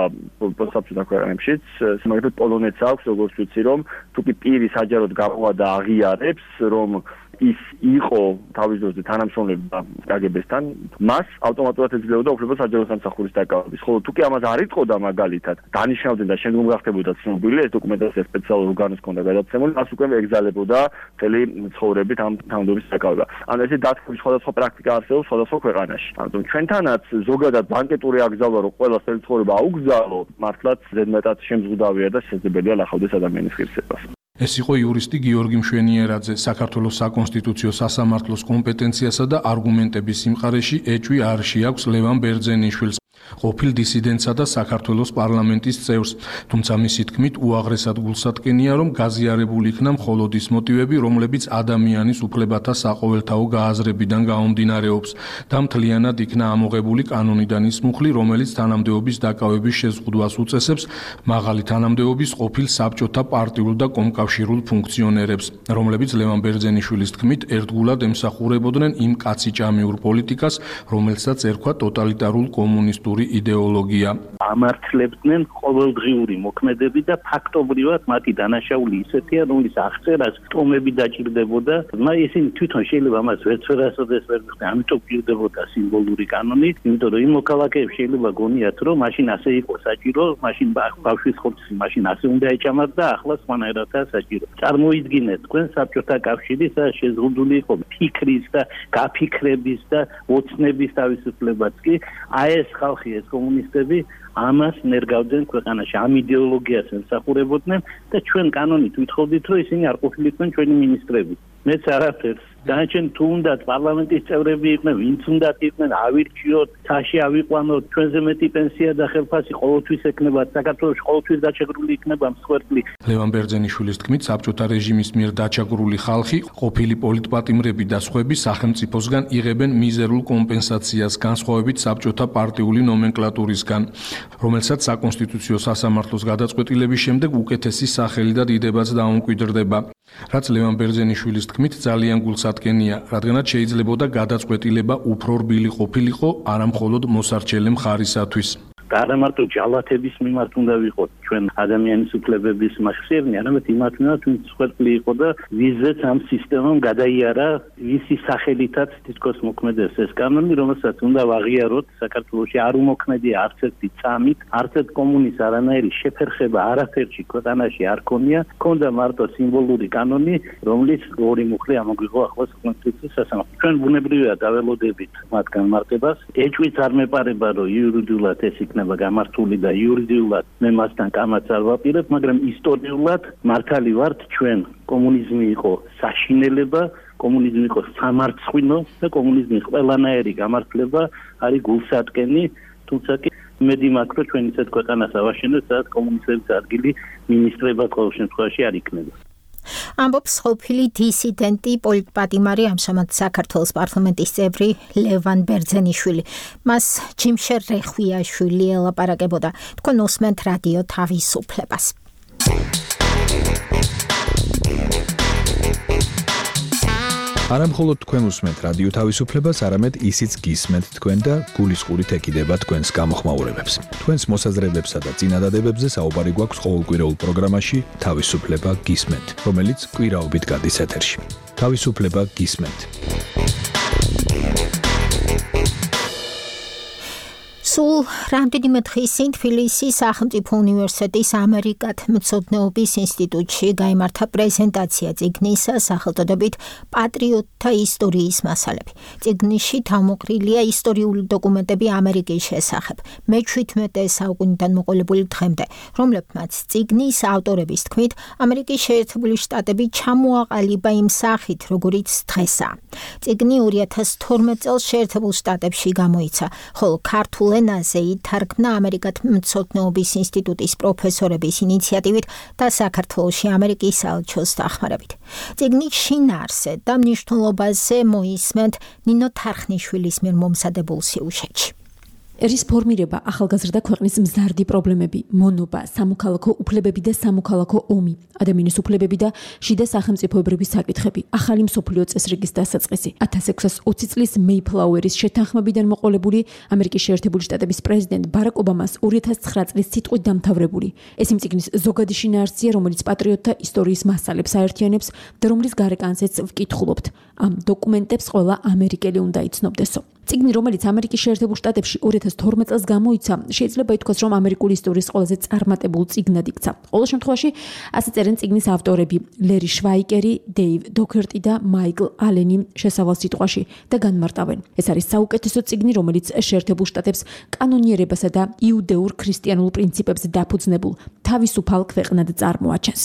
საბჭოთა ქვეყნებშიც, მაგალითად პოლონეთს აქვს, როგორც ვიცი, რომ თუ კი პირი საჯაროდ გამოვა და აღიარებს, რომ ის იყო თავის დროზე თანამშრომლობდა კგბ-სთან, მას ავტომატურად ეძლეოდა უფლება საჯარო სამსახურის დაკავების. ხოლო თუ კი ამას არ იტყოდა მაგალითად, დანიშნავდნენ და შემდგომ გახდებოდა ცნობილი, ეს დოკუმენტაცია სპეციალურ ორგანოს ჰქონდა გადაცემული, მას უკვე ეგზალებოდა მთელი ცხოვრებით ამ თანამდებობის დაკავება. ანუ ესე დათქმის სხვადასხვა პრაქტიკა არსებობს სხვადასხვა ქვეყანაში. ანუ ჩვენთანაც ზოგადად ბანკეტური აკრძალვა, რომ ყველა მთელი ცხოვრება აუგზავნო, მართლაც ზედმეტად შემზღუდავია და შესაძლებელია ლახავდეს ადამიანის ღირსებას. ეს იყო იურისტი გიორგი მშვენიერაძე, საქართველოს საკონსტიტუციო სასამართლოს კომპეტენციასა და არგუმენტების სიმყარეში ეჭვი არ შეაქვს ლევან ბერძენიშვილს, ყოფილ დისიდენტსა და საქართველოს პარლამენტის წევრს, თუმცა მისი თქმით უაღრესად გულსატკენია, რომ გაზიარებული იქნა მხოლოდ ის მოტივები, რომლებიც ადამიანის უფლებათა საყოველთაო გააზრებიდან გაუმდინარეობს და მთლიანად იქნა ამოღებული კანონიდან ის მუხლი, რომელიც თანამდებობის დაკავების შეზღუდვას უწესებს მაღალი თანამდებობის ყოფილ საბჭოთა პარტიულ და კომკავშირულ ფუნქციონერებს, რომლებიც ლევან ბერძენიშვილის თქმით ერთგულად ემსახურებოდნენ იმ კაციჭამიურ პოლიტიკას, რომელსაც ერქვა ტოტალიტარულ კომუნისტურ იდეოლოგია. ამართლებდნენ ყოველდღიური მოქმედები და ფაქტობრივად მათი დანაშაული ისეთია, რომლის აღწერას ტომები დაჭირდებოდა, მაგრამ ისინი თვითონ შეიძლება ამას ვერასოდეს ვერ მიხდნენ, ამიტომ გირდებოდა სიმბოლური კანონი, იმიტომ რომ იმ მოქალაქეებს შეიძლება გონიათ, რომ მაშინ ასე იყო საჭირო, მაშინ ბავშვის ხორცი მაშინ ასე უნდა ეჭამათ და ახლა სხვანაირადაა საჭირო. წარმოიდგინეთ, თქვენ საბჭოთა კავშირი შეზღუდული იყო ფიქრის და გაფიქრების და ოცნების თავისუფლებაც კი, აი ეს ხალხი ეს კომუნისტები ამას ნერგავდნენ ქვეყანაში, ამ იდეოლოგიას ემსახურებოდნენ და ჩვენ კანონით ვითხოვდით, რომ ისინი არ ყოფილიყვნენ ჩვენი მინისტრები. მეც არაფერს. დანარჩენ თუ უნდათ პარლამენტის წევრები იყვნენ, ვინც უნდათ იყვნენ, ავირჩიოთ, თაში ავიყვანოთ, ჩვენზე მეტი პენსია და ხელფასი ყოველთვის ექნება, საქართველოში ყოველთვის დაჩაგრული იქნება მსხვერპლი. ლევან ბერძენიშვილის თქმით, საბჭოთა რეჟიმის მიერ დაჩაგრული ხალხი, ყოფილი პოლიტპატიმრები და სხვები სახელმწიფოსგან იღებენ მიზერულ კომპენსაციას, განსხვავებით საბჭოთა პარტიული ნომენკლატურისგან, რომელსაც საკონსტიტუციო სასამართლოს გადაწყვეტილების შემდეგ უკეთესი სახელი და დიდებაც დაუმკვიდრდება. რაც ლევან ბერძენიშვილის თქმით ძალიან გულსატკენია, რადგანაც შეიძლებოდა გადაწყვეტილება უფრო რბილი ყოფილიყო არა მხოლოდ მოსარჩელე მხარისათვის. და არა მარტო ჯალათების მიმართ უნდა ვიყოთ ჩვენ ადამიანის უფლებების მახსიერნი, არამედ იმათ მიმართ, ვინც მსხვერპლი იყო და ვიზეც ამ სისტემამ გადაიარა ვისი სახელითაც თითქოს მოქმედებს ეს კანონი, რომელსაც უნდა ვაღიაროთ საქართველოში არ უმოქმედია არც ერთი წამით, არც ერთ კომუნის არანაირი შეფერხება არაფერში ქვეყანაში არ ქონია, ქონდა მარტო სიმბოლური კანონი, რომლის ორი მუხლი ამოგვიღო ახლა კონსტიტუციის სასამართლო. ჩვენ ბუნებრივია დაველოდებით მათ განმარტებას, ეჭვიც არ მეპარება, რომ იურიდიულად ეს იქნება გამართული და იურიდიულად მე მასთან კამაც არ ვაპირებ, მაგრამ ისტორიულად მართალი ვართ ჩვენ. კომუნიზმი იყო საშინელება, კომუნიზმი იყო სამარცხვინო და კომუნიზმის ყველანაირი გამართლება არის გულსატკენი, თუმცა კი მედი მაქვს, რომ ჩვენ ისეთ ქვეყანას ავაშენებთ, სადაც კომუნისტების ადგილი მინისტრებად ყოველ შემთხვევაში არ იქნება. ამბობს ყოფილი დისიდენტი პოლიტპატიმარი, ამჟამად საქართველოს პარლამენტის წევრი ლევან ბერძენიშვილი. მას ჯიმშერ რეხვიაშვილი ელაპარაკებოდა. თქვენ უსმენთ რადიო თავისუფლებას. არა მხოლოდ თქვენ უსმენთ რადიო თავისუფლებას, არამედ ისიც გისმენთ თქვენ და გულისყურით ეკიდება თქვენს გამოხმაურებებს. თქვენს მოსაზრებებსა და წინადადებებზე საუბარი გვაქვს ყოველკვირეულ პროგრამაში თავისუფლება გისმენთ, რომელიც კვირაობით გადის ეთერში. თავისუფლება გისმენთ. სულ რამდენიმე დღის წინ თბილისის სახელმწიფო უნივერსიტეტის ამერიკათმცოდნეობის ინსტიტუტში გაიმართა პრეზენტაცია წიგნისა სახელწოდებით პატრიოტთა ისტორიის მასალები. წიგნში თავმოყრილია ისტორიული დოკუმენტები ამერიკის შესახებ, მე-17 საუკუნიდან მოყოლებული დღემდე, რომლებმაც წიგნის ავტორების თქმით, ამერიკის შეერთებული შტატები ჩამოაყალიბა იმ სახით, როგორიც დღესაა. წიგნი 2012 წელს შეერთებულ შტატებში გამოიცა, ხოლო ქართულ ენაზე ითარგმნა ამერიკათმცოდნეობის ინსტიტუტის პროფესორების ინიციატივით და საქართველოში ამერიკის საელჩოს დახმარებით. წიგნის შინაარსზე და მნიშვნელობაზე მოისმენთ ნინო თარხნიშვილის მიერ მომზადებულ სიუჟეტში. ერის ფორმირება ახალგაზრდა ქვეყნის მზარდი პრობლემები, მონობა, სამოქალაქო უფლებები და სამოქალაქო ომი, ადამიანის უფლებები და შიდა სახელმწიფოებრივი საკითხები, ახალი მსოფლიო წესრიგის დასაწყისი. 1620 წლის მეიფლაუერის შეთანხმებიდან მოყოლებული ამერიკის შეერთებული შტატების პრეზიდენტ ბარაკ ობამას 2009 წლის სიტყვით დამთავრებული. ეს იმ წიგნის ზოგადი შინაარსია, რომელიც პატრიოტთა ისტორიის მასალებს აერთიანებს და რომლის გარეკანზეც ვკითხულობთ. ამ დოკუმენტებს ყველა ამერიკელი უნდა იცნობდესო. წიგნი, რომელიც ამერიკის შეერთებულ შტატებში 2012 წელს გამოიცა, შეიძლება ითქვას, რომ ამერიკული ისტორიის ყველაზე წარმატებულ წიგნად იქცა. ყოველ შემთხვევაში, ასე წერენ წიგნის ავტორები: ლერი შვაიკერი, დეივ დოკერტი და მაიკლ ალენი შესავალ სიტყვაში და განმარტავენ. ეს არის საუკეთესო წიგნი, რომელიც შეერთებულ შტატებს კანონიერებასა და იუდეურ ქრისტიანულ პრინციპებზე დაფუძნებულ თავისუფალ ქვეყნად წარმოაჩენს.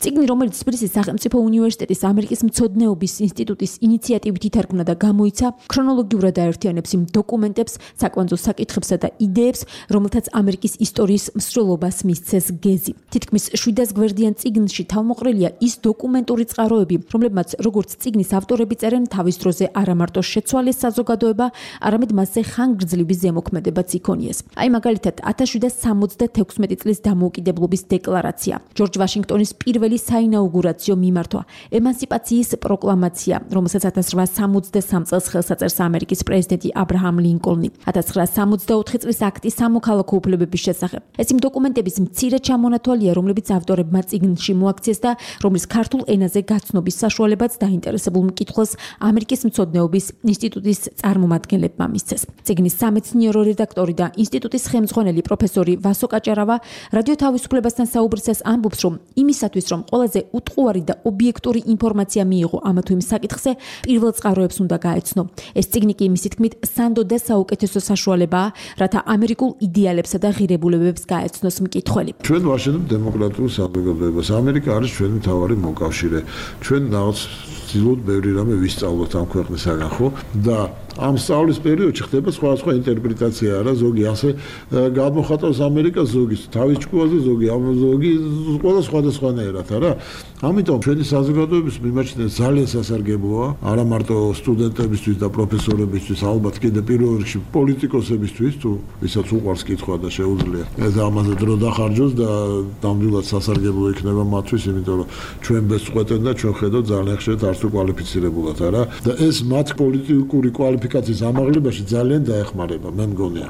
წიგნი, რომელიც თბილისის სახელმწიფო უნივერსიტეტის ამერიკის მცოდნეობის ინსტიტუტის ინიციატივით ითარგმნა და გამოიცა, ქრონოლოგიურად აერთიანებს იმ დოკუმენტებს, საკვანძო საკითხებსა და იდეებს, რომელთაც ამერიკის ისტორიის მსვლელობას მისცეს გეზი. თითქმის 700 გვერდიან წიგნში თავმოყრილია ის დოკუმენტური წყაროები, რომლებმაც როგორც წიგნის ავტორები წერენ, თავის დროზე არა მარტო შეცვალეს საზოგადოება, არამედ მასზე ხანგრძლივი ზემოქმედებაც იქონიეს. აი მაგალითად 1776 წლის დამოუკიდებლობის დეკლარაცია, ჯორჯ ვაშინგტონის პირველი საინაუგურაციო მიმართვა, ემანსიპაციის პროკლამაცია, რომელსაც 1863 წელს ხელს აწერს ამერიკის პრეზიდენტი აბრაჰამ ლინკოლნი, 1964 წლის აქტი სამოქალაქო უფლებების შესახებ. ეს იმ დოკუმენტების მცირე ჩამონათვალია, რომლებიც ავტორებმა წიგნში მოაქციეს და რომლის ქართულ ენაზე გაცნობის საშუალებაც დაინტერესებულ მკითხველს ამერიკის მცოდნეობის ინსტიტუტის წარმომადგენლებმა მისცეს. წიგნის სამეცნიერო რედაქტორი და ინსტიტუტის ხელმძღვანელი პროფესორი ვასო კაჭარავა რადიო თავისუფლებასთან საუბრისას ამბობს, რომ იმისათვის, რომ ყველაზე უტყუარი და ობიექტური ინფორმაცია მიიღო ამა თუ იმ საკითხზე, პირველ წყაროებს უნდა გაეცნო. ეს წიგნი კი მისი თქმით სანდო და საუკეთესო საშუალებაა, რათა ამერიკულ იდეალებსა და ღირებულებებს გაეცნოს მკითხველი. ჩვენ ვაშენებთ დემოკრატიულ საზოგადოებას. ამერიკა არის ჩვენი მთავარი მოკავშირე. ჩვენ რაღაც ვცდილობთ ბევრი რამე ვისწავლოთ ამ ქვეყნისაგან, ხო? და ამ სწავლის პერიოდში ხდება სხვადასხვა ინტერპრეტაცია არა, ზოგი ასე გამოხატავს ამერიკას, ზოგი თავის ჭკუაზე, ზოგი ყველა სხვადასხვანაირად არა. ამიტომ ჩვენი საზოგადოების მიმაჩნია ძალიან სასარგებლოა, არა მარტო სტუდენტებისთვის და პროფესორებისთვის, ალბათ კიდე პირველ რიგში პოლიტიკოსებისთვის, თუ ვისაც უყვარს კითხვა და შეუძლია ეს ამაზე დრო დახარჯოს და ნამდვილად სასარგებლო იქნება მათთვის, იმიტომ რომ ჩვენ ბესწყვეტენ და ჩვენ ხედავთ ძალიან ხშირად არც უკვალიფიცირებულად არა და ეს მათ პოლიტიკური კვალიფიკაციის ამაღლებაში ძალიან დაეხმარება, მე მგონია.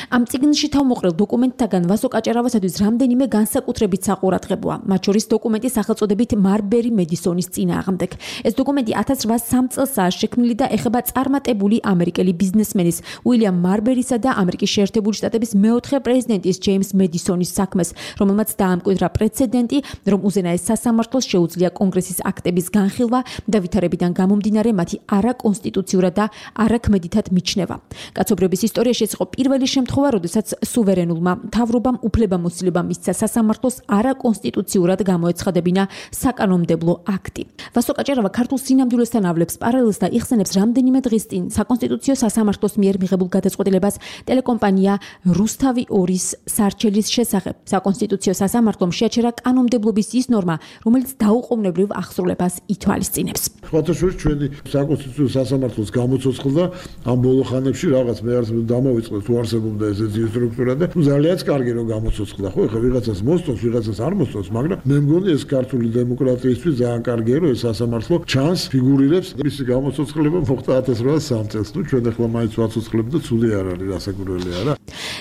ამ წიგნში თავმოყრილ დოკუმენტთაგან ვასო კაჭარავასათვის რამდენიმე განსაკუთრებით საყურადღებოა, მათ შორის დოკუმენტის სახელწოდებით მარბერი მედისონის წინააღმდეგ. ეს დოკუმენტი 1803 წელსაა შექმნილი და ეხება წარმატებული ამერიკელი ბიზნესმენის უილიამ მარბერისა და ამერიკის შეერთებული შტატების მეოთხე პრეზიდენტის ჯეიმს მედისონის საქმეს, რომელმაც დაამკვიდრა პრეცედენტი, რომ უზენაეს სასამართლოს შეუძლია კონგრესის აქტების განხილვა და ვითარებიდან გამომდინარე მათი არაკონსტიტუციურად და არაქმედითად მიჩნევა. კაცობრიობის ისტორიაში ეს იყო პირველი შემთხვევა, როდესაც სუვერენულმა მთავრობამ უფლებამოსილება მისცა სასამართლოს არაკონსტიტუციურად გამოეცხადებინა საკანონმდებლო აქტი. ვასო კაჭარავა ქართულ სინამდვილესთან ავლებს პარალელს და იხსენებს რამდენიმე დღის წინ საკონსტიტუციო სასამართლოს მიერ მიღებულ გადაწყვეტილებას ტელეკომპანია რუსთავი 2-ის სარჩელის შესახებ. საკონსტიტუციო სასამართლომ შეაჩერა კანონმდებლობის ის ნორმა, რომელიც დაუყოვნებლივ აღსრულებას ითვალისწინებს. ხოთაშურის ჩვენი საკონსტიტუციო სასამართლოს გამოცოცხლდა ამ ბოლო ხანებში რაღაც მე არც დამოვიწყდა თუ არსებობდა ესეთი სტრუქტურა და ძალიანაც კარგი რომ გამოცოცხლდა, ხო, ეხლა ვიღაცას მოსწონს, ვიღაცას არ მოსწონს, მაგრამ მე მგონი ეს ქართული დემოკრატიისთვის ძალიან კარგია, რომ ეს სასამართლო ჩანს ფიგურირებს, მისი გამოცოცხლება მოხდა 1803 წელს. ნუ ჩვენ ახლა მაინც ვაცოცხლებთ და ცუდი არ არის, რასაკვირველია რა.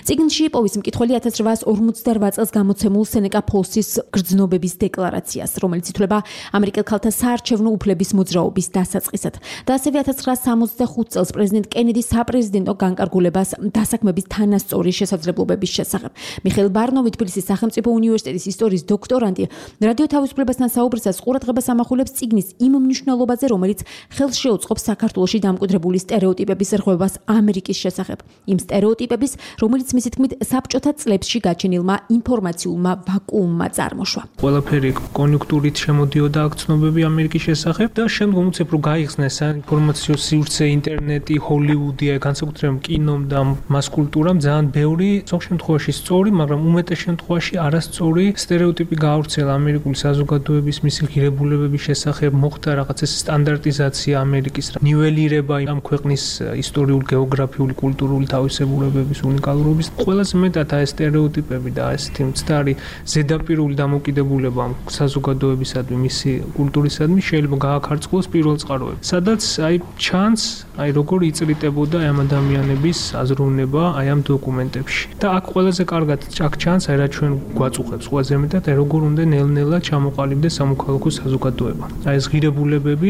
წიგნში იპოვის მკითხველი 1858 წელს გამოცემულ სენეკა ფოლსის გრძნობების დეკლარაციას, რომელიც ითვლება ამერიკელ ქალთა საარჩევნო უფლების მოძრაობის დასაწყისად. და ასევე 1965 წელს პრეზიდენტ კენედის საპრეზიდენტო განკარგულებას დასაქმების თანასწორი შესაძლებლობების შესახებ. მიხეილ ბარნოვი, თბილისის სახელმწიფო უნივერსიტეტის ისტორიის დოქტორანტი, რადიო თავისუფლებასთან საუბრისას ყურადღებას ამახვილებს წიგნის იმ მნიშვნელობაზე, რომელიც ხელს შეუწყობს საქართველოში დამკვიდრებული სტერეოტიპების რღვევას ამერიკის შესახებ. იმ სტერეოტიპების, რომელიც მისი თქმით საბჭოთა წლებში გაჩენილმა ინფორმაციულმა ვაკუუმმა წარმოშვა. ყველაფერი კონიუნქტურით შემოდიოდა აქ ცნობები ამერიკის შესახებ და შემდგომ უცებ რომ გაიხსნეს საინფორმაციო სივრცე, ინტერნეტი, ჰოლივუდი, განსაკუთრებით კინომ და მას კულტურამ ძალიან ბევრი ზოგ შემთხვევაში სწორი, მაგრამ უმეტეს შემთხვევაში არასწორი სტერეოტიპი გაავრცელა ამერიკული საზოგადოების მისი ღირებულებების შესახებ, მოხდა რაღაც ეს სტანდარტიზაცია ამერიკის, ნიველირება ამ ქვეყნის ისტორიულ, გეოგრაფიული, კულტურული თავისებურებების უნიკალურობის. ყველაზე მეტად ეს სტერეოტიპები და ესეთი მცდარი ზედაპირული დამოკიდებულება ამ საზოგადოებისადმი, მისი კულტურისადმი შეიძლება გააქარწყლოს პირველ წყაროებში. სადაც აი ჩანს, აი როგორ იწრიტებოდა ამ ადამიანების აზროვნება აი ამ დოკუმენტებში. და აქ ყველაზე კარგად ჩანს, აი რა ჩვენ გვაწუხებს ყველაზე მეტად, აი როგორ უნდა ნელ-ნელა ჩამოყალიბდეს სამოქალაქო საზოგადოება. აი ეს ღირებულებები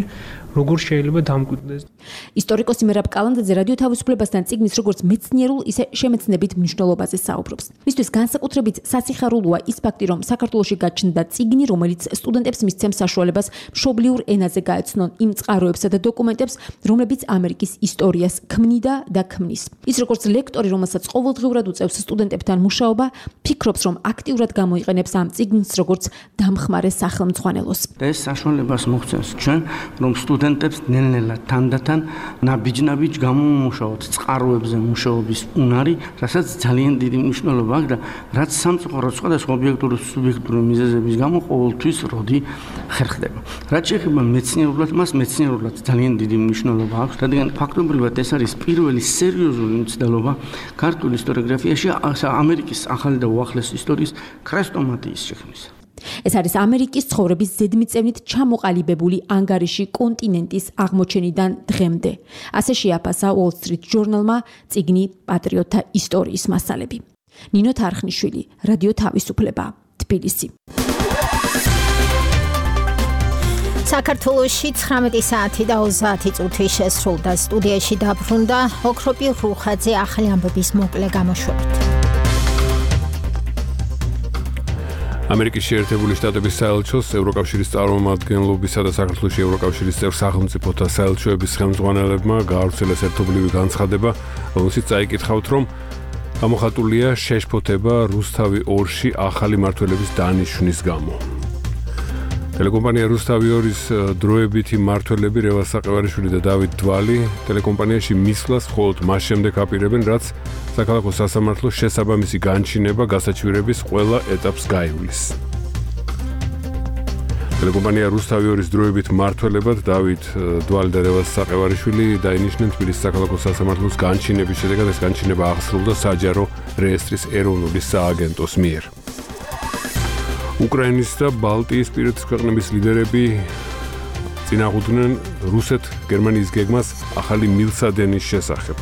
როგორ შეიძლება დამკვიდრდეს. ისტორიკოსი მერაბ კალანდაძე რადიო თავისუფლებასთან წიგნის როგორც მეცნიერულ, ისე შემეცნებით მნიშვნელობაზე საუბრობს. მისთვის განსაკუთრებით სასიხარულოა ის ფაქტი, რომ საქართველოში გაჩნდა წიგნი, რომელიც სტუდენტებს მისცემს საშუალებას მშობლიურ ენაზე გაეცნონ იმ წყაროებსა და დოკუმენტებს, რომლებიც ამერიკის ისტორიას ქმნიდა და ქმნის. ის როგორც ლექტორი, რომელსაც ყოველდღიურად უწევს სტუდენტებთან მუშაობა, ფიქრობს, რომ აქტიურად გამოიყენებს ამ წიგნს როგორც დამხმარე სახელმძღვანელოს. და ეს საშუალებას მოგვცემს ჩვენ, რომ სტუდენტებს ნელ-ნელა თანდათან ნაბიჯ-ნაბიჯ გამომუშავოთ წყაროებზე მუშაობის უნარი, რასაც ძალიან დიდი მნიშვნელობა აქვს და რაც სამწუხაროდ სხვადასხვა ობიექტური სუბიექტური მიზეზების გამო ყოველთვის როდი ხერხდება. რაც შეეხება მეცნიერულად, მას მეცნიერულად ძალიან დიდი მნიშვნელობა აქვს, რადგან ფაქტობრივად ეს არის პირველი სერიოზული მცდელობა ქართულ ისტორიოგრაფიაში ამერიკის ახალი და უახლესი ისტორიის ქრესტომატიის შექმნისა. ეს არის ამერიკის ცხოვრების ზედმიწევნით ჩამოყალიბებული ანგარიში კონტინენტის აღმოჩენიდან დღემდე. ასე შეაფასა Wall Street Journal-მა წიგნი პატრიოტთა ისტორიის მასალები. ნინო თარხნიშვილი, რადიო თავისუფლება, თბილისი. საქართველოში 19 საათი და 30 წუთი შესრულდა. სტუდიაში დაბრუნდა ოქროპი რუხაძე ახალი ამბების მოკლე გამოშვებით. ამერიკის შეერთებული შტატების საელჩოს, ევროკავშირის წარმომადგენლობისა და საქართველოს ევროკავშირის წევრ სახელმწიფოთა საელჩოების ხელმძღვანელებმა გაავრცელეს ერთობლივი განცხადება, რომელშიც წაიკითხავთ, რომ გამოხატულია შეშფოთება რუსთავი 2-ში ახალი მმართველების დანიშვნის გამო. ტელეკომპანია რუსთავი 2-ის დროებითი მმართველები რევაზ საყევარიშვილი და დავით დვალი ტელეკომპანიაში მისვლას მხოლოდ მას შემდეგ აპირებენ, რაც საქალაქო სასამართლოს შესაბამისი განჩინება გასაჩვირების ყველა ეტაპს გაივლის. ტელეკომპანია რუსთავი 2-ის დროებით მმართველებად დავით დვალი და რევაზ საყევარიშვილი დაინიშნენ თბილისის საქალაქო სასამართლოს განჩინების შედეგად. ეს განჩინება აღსრულდა საჯარო რეესტრის ეროვნული სააგენტოს მიერ. უკრაინის და ბალტიისპირეთის ქვეყნების ლიდერები წინააღმდნენ რუსეთ-გერმანიის გეგმას ახალი მილსადენის შესახებ.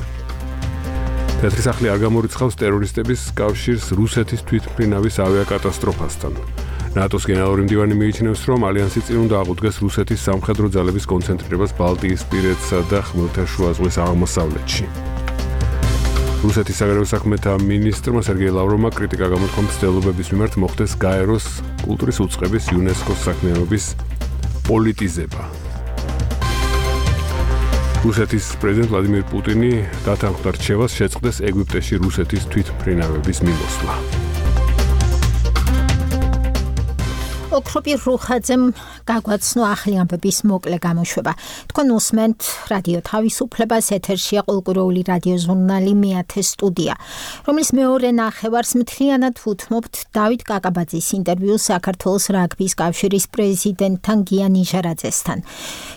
თეთრი სახლი არ გამორიცხავს ტერორისტების კავშირს რუსეთის თვითმფრინავის ავიაკატასტროფასთან. ნატოს გენერალური მდივანი მიიჩნევს, რომ ალიანსი წინ უნდა აღუდგეს რუსეთის სამხედრო ძალების კონცენტრირებას ბალტიისპირეთსა და ხმელთაშუა ზღვის აღმოსავლეთში. რუსეთის საგარეო საქმეთა მინისტრმა სერგეი ლავროვმა კრიტიკა გამოთქვა მცდელობების მიმართ მოხდეს გაეროს კულტურის უწყების იუნესკოს საქმიანობის პოლიტიზება. რუსეთის პრეზიდენტ ვლადიმირ პუტინი დათანხმდა რჩევას შეწყდეს ეგვიპტეში რუსეთის თვითმფრინავების მიმოსვლა. ოქროპი რუხაძემ გაგვაცნო ახალი ამბების მოკლე გამოშვება. თქვენ უსმენთ რადიო თავისუფლებას, ეთერშია ყოველკვირეული რადიო ჟურნალი მეათე სტუდია, რომლის მეორე ნახევარს მთლიანად ვუთმობთ დავით კაკაბაძის ინტერვიუს საქართველოს რაგბის კავშირის პრეზიდენტთან გია ნიჟარაძესთან.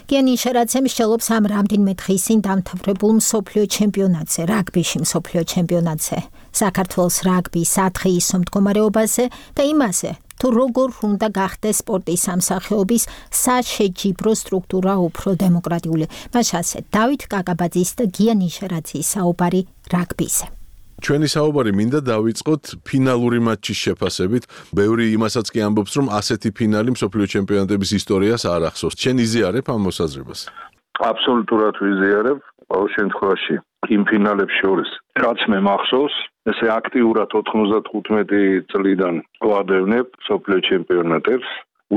გია ნიჟარაძე მსჯელობს ამ რამდენიმე დღის წინ დამთავრებულ მსოფლიო ჩემპიონატზე, რაგბიში მსოფლიო ჩემპიონატზე, საქართველოს რაგბის სათხეისო მდგომარეობაზე და იმაზე, თუ როგორ უნდა გახდეს სპორტის სამსახიობის საშეჯიბრო სტრუქტურა უფრო დემოკრატიული. მას ასე დავით კაკაბაძის და გია ნიჟარაძის საუბარი რაგბიზე. ჩვენი საუბარი მინდა დავიწყოთ ფინალური მატჩის შეფასებით. ბევრი იმასაც კი ამბობს, რომ ასეთი ფინალი მსოფლიო ჩემპიონატების ისტორიას არ ახსოვს. შენ იზიარებ ამ მოსაზრებას? აბსოლუტურად ვიზიარებ. ყოველ შემთხვევაში იმ ფინალებს შორის, რაც მე მახსოვს, ესე აქტიურად 95 წლიდან ვადევნებ მსოფლიო ჩემპიონატებს.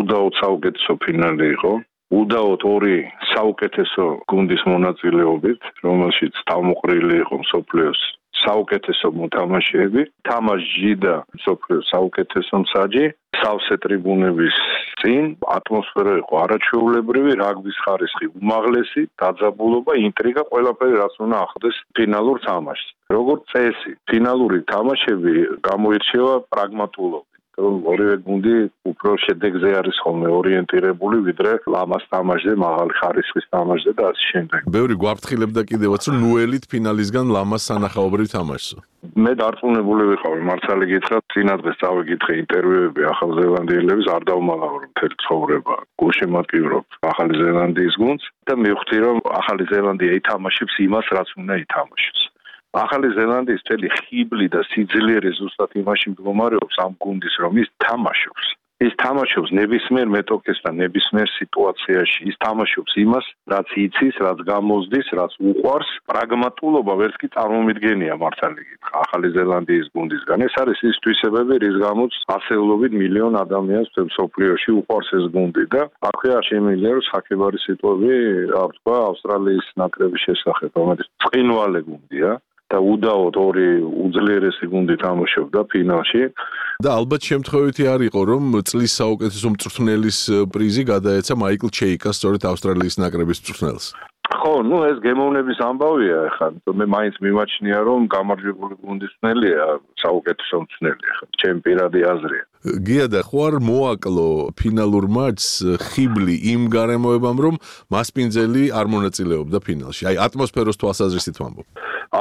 უდაოდ საუკეთესო ფინალი იყო. უდაოდ ორი საუკეთესო გუნდის მონაწილეობით, რომელშიც თავმოყრილი იყო მსოფლიოს საუკეთესო მოთამაშეები, თამაში და მსოფლიოს საუკეთესო მსაჯი, სავსე ტრიბუნების წინ ატმოსფერო იყო არაჩვეულებრივი, რაგბის ხარისხი უმაღლესი, დაძაბულობა, ინტრიგა, ყველაფერი რაც უნდა ახლდეს ფინალურ თამაშს. როგორც წესი, ფინალური თამაშები გამოირჩევა პრაგმატულობით. ორივე გუნდი უფრო შედეგზე არის ხოლმე ორიენტირებული, ვიდრე ლამას თამაშზე, მაღალი ხარისხის თამაშზე და ასე შემდეგ. ბევრი გვაფრთხილებდა კიდევაც, რომ ნუელით ფინალისგან ლამას სანახაობრივ თამაშს. მე დარწმუნებული ვიყავი, მართალი გითხრათ, წინადღეს წავიკითხე ინტერვიუები ახალზელანდიელების, არ დავმალავ მთელი ცხოვრება. გულშემატკივრობ ახალი ზელანდიის გუნდს და მივხვდი, რომ ახალი ზელანდია ითამაშებს იმას, რაც უნდა ითამაშოს. ახალი ზელანდიის მთელი ხიბლი და სიძლიერე ზუსტად იმაში მდგომარეობს ამ გუნდის, რომ ის თამაშობს. ის თამაშობს ნებისმიერ მეტოქესთან, ნებისმიერ სიტუაციაში. ის თამაშობს იმას, რაც იცის, რაც გამოზდის, რაც უყვარს. პრაგმატულობა ვერც კი წარმომიდგენია მართალი გითხრა ახალი ზელანდიის გუნდისგან. ეს არის ის თვისებები, რის გამოც ასეულობით მილიონ ადამიანს მსოფლიოში უყვარს ეს გუნდი და აქვეა შემიძლია რომ საკებარი სიტყვები არ თქვა ავსტრალიის ნაკრების შესახებ, რომელიც წყინვალე გუნდია. და უდაოდ ორი უძლიერესი გუნდი თამაშობდა ფინალში და ალბათ შემთხვევითი არ იყო რომ წლის საუკეთესო მწვრთნელის პრიზი გადაეცა მაიკლ ჩეიკას სწორედ ავსტრალიის ნაკრების მწვრთნელს. ხო, ეს გემოვნების ამბავია ახლა. მე მაინც მიმაჩნია რომ გამარჯვებული გუნდის მწვრთნელია საუკეთესო მწვრთნელი ახლა. ჩემი პირადი აზრია. გია და ხوار მოაკლო ფინალურ მატჩს ხიბლი იმ გარემოებამ რომ მასპინძელი არ მონაწილეობდა ფინალში. აი ატმოსფეროს თვალსაზრისით ვამბობ.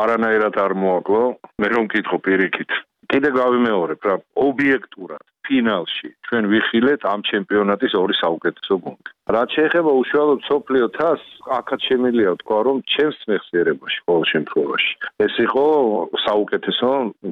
არანაირად არ მოაკლო. მე რომ მკითხო პირიქით. კიდე გავიმეორებ რა, ობიექტურად ფინალში ჩვენ ვიხილეთ ამ ჩემპიონატის ორი საუკეთესო გუნდი. რაც შეეხება უშუალოდ სოფლიო თასს, აქაც შემიძლია თქვა, რომ ჩემს მეხსიერებაში ყოველ შემთხვევაში ეს იყო საუკეთესო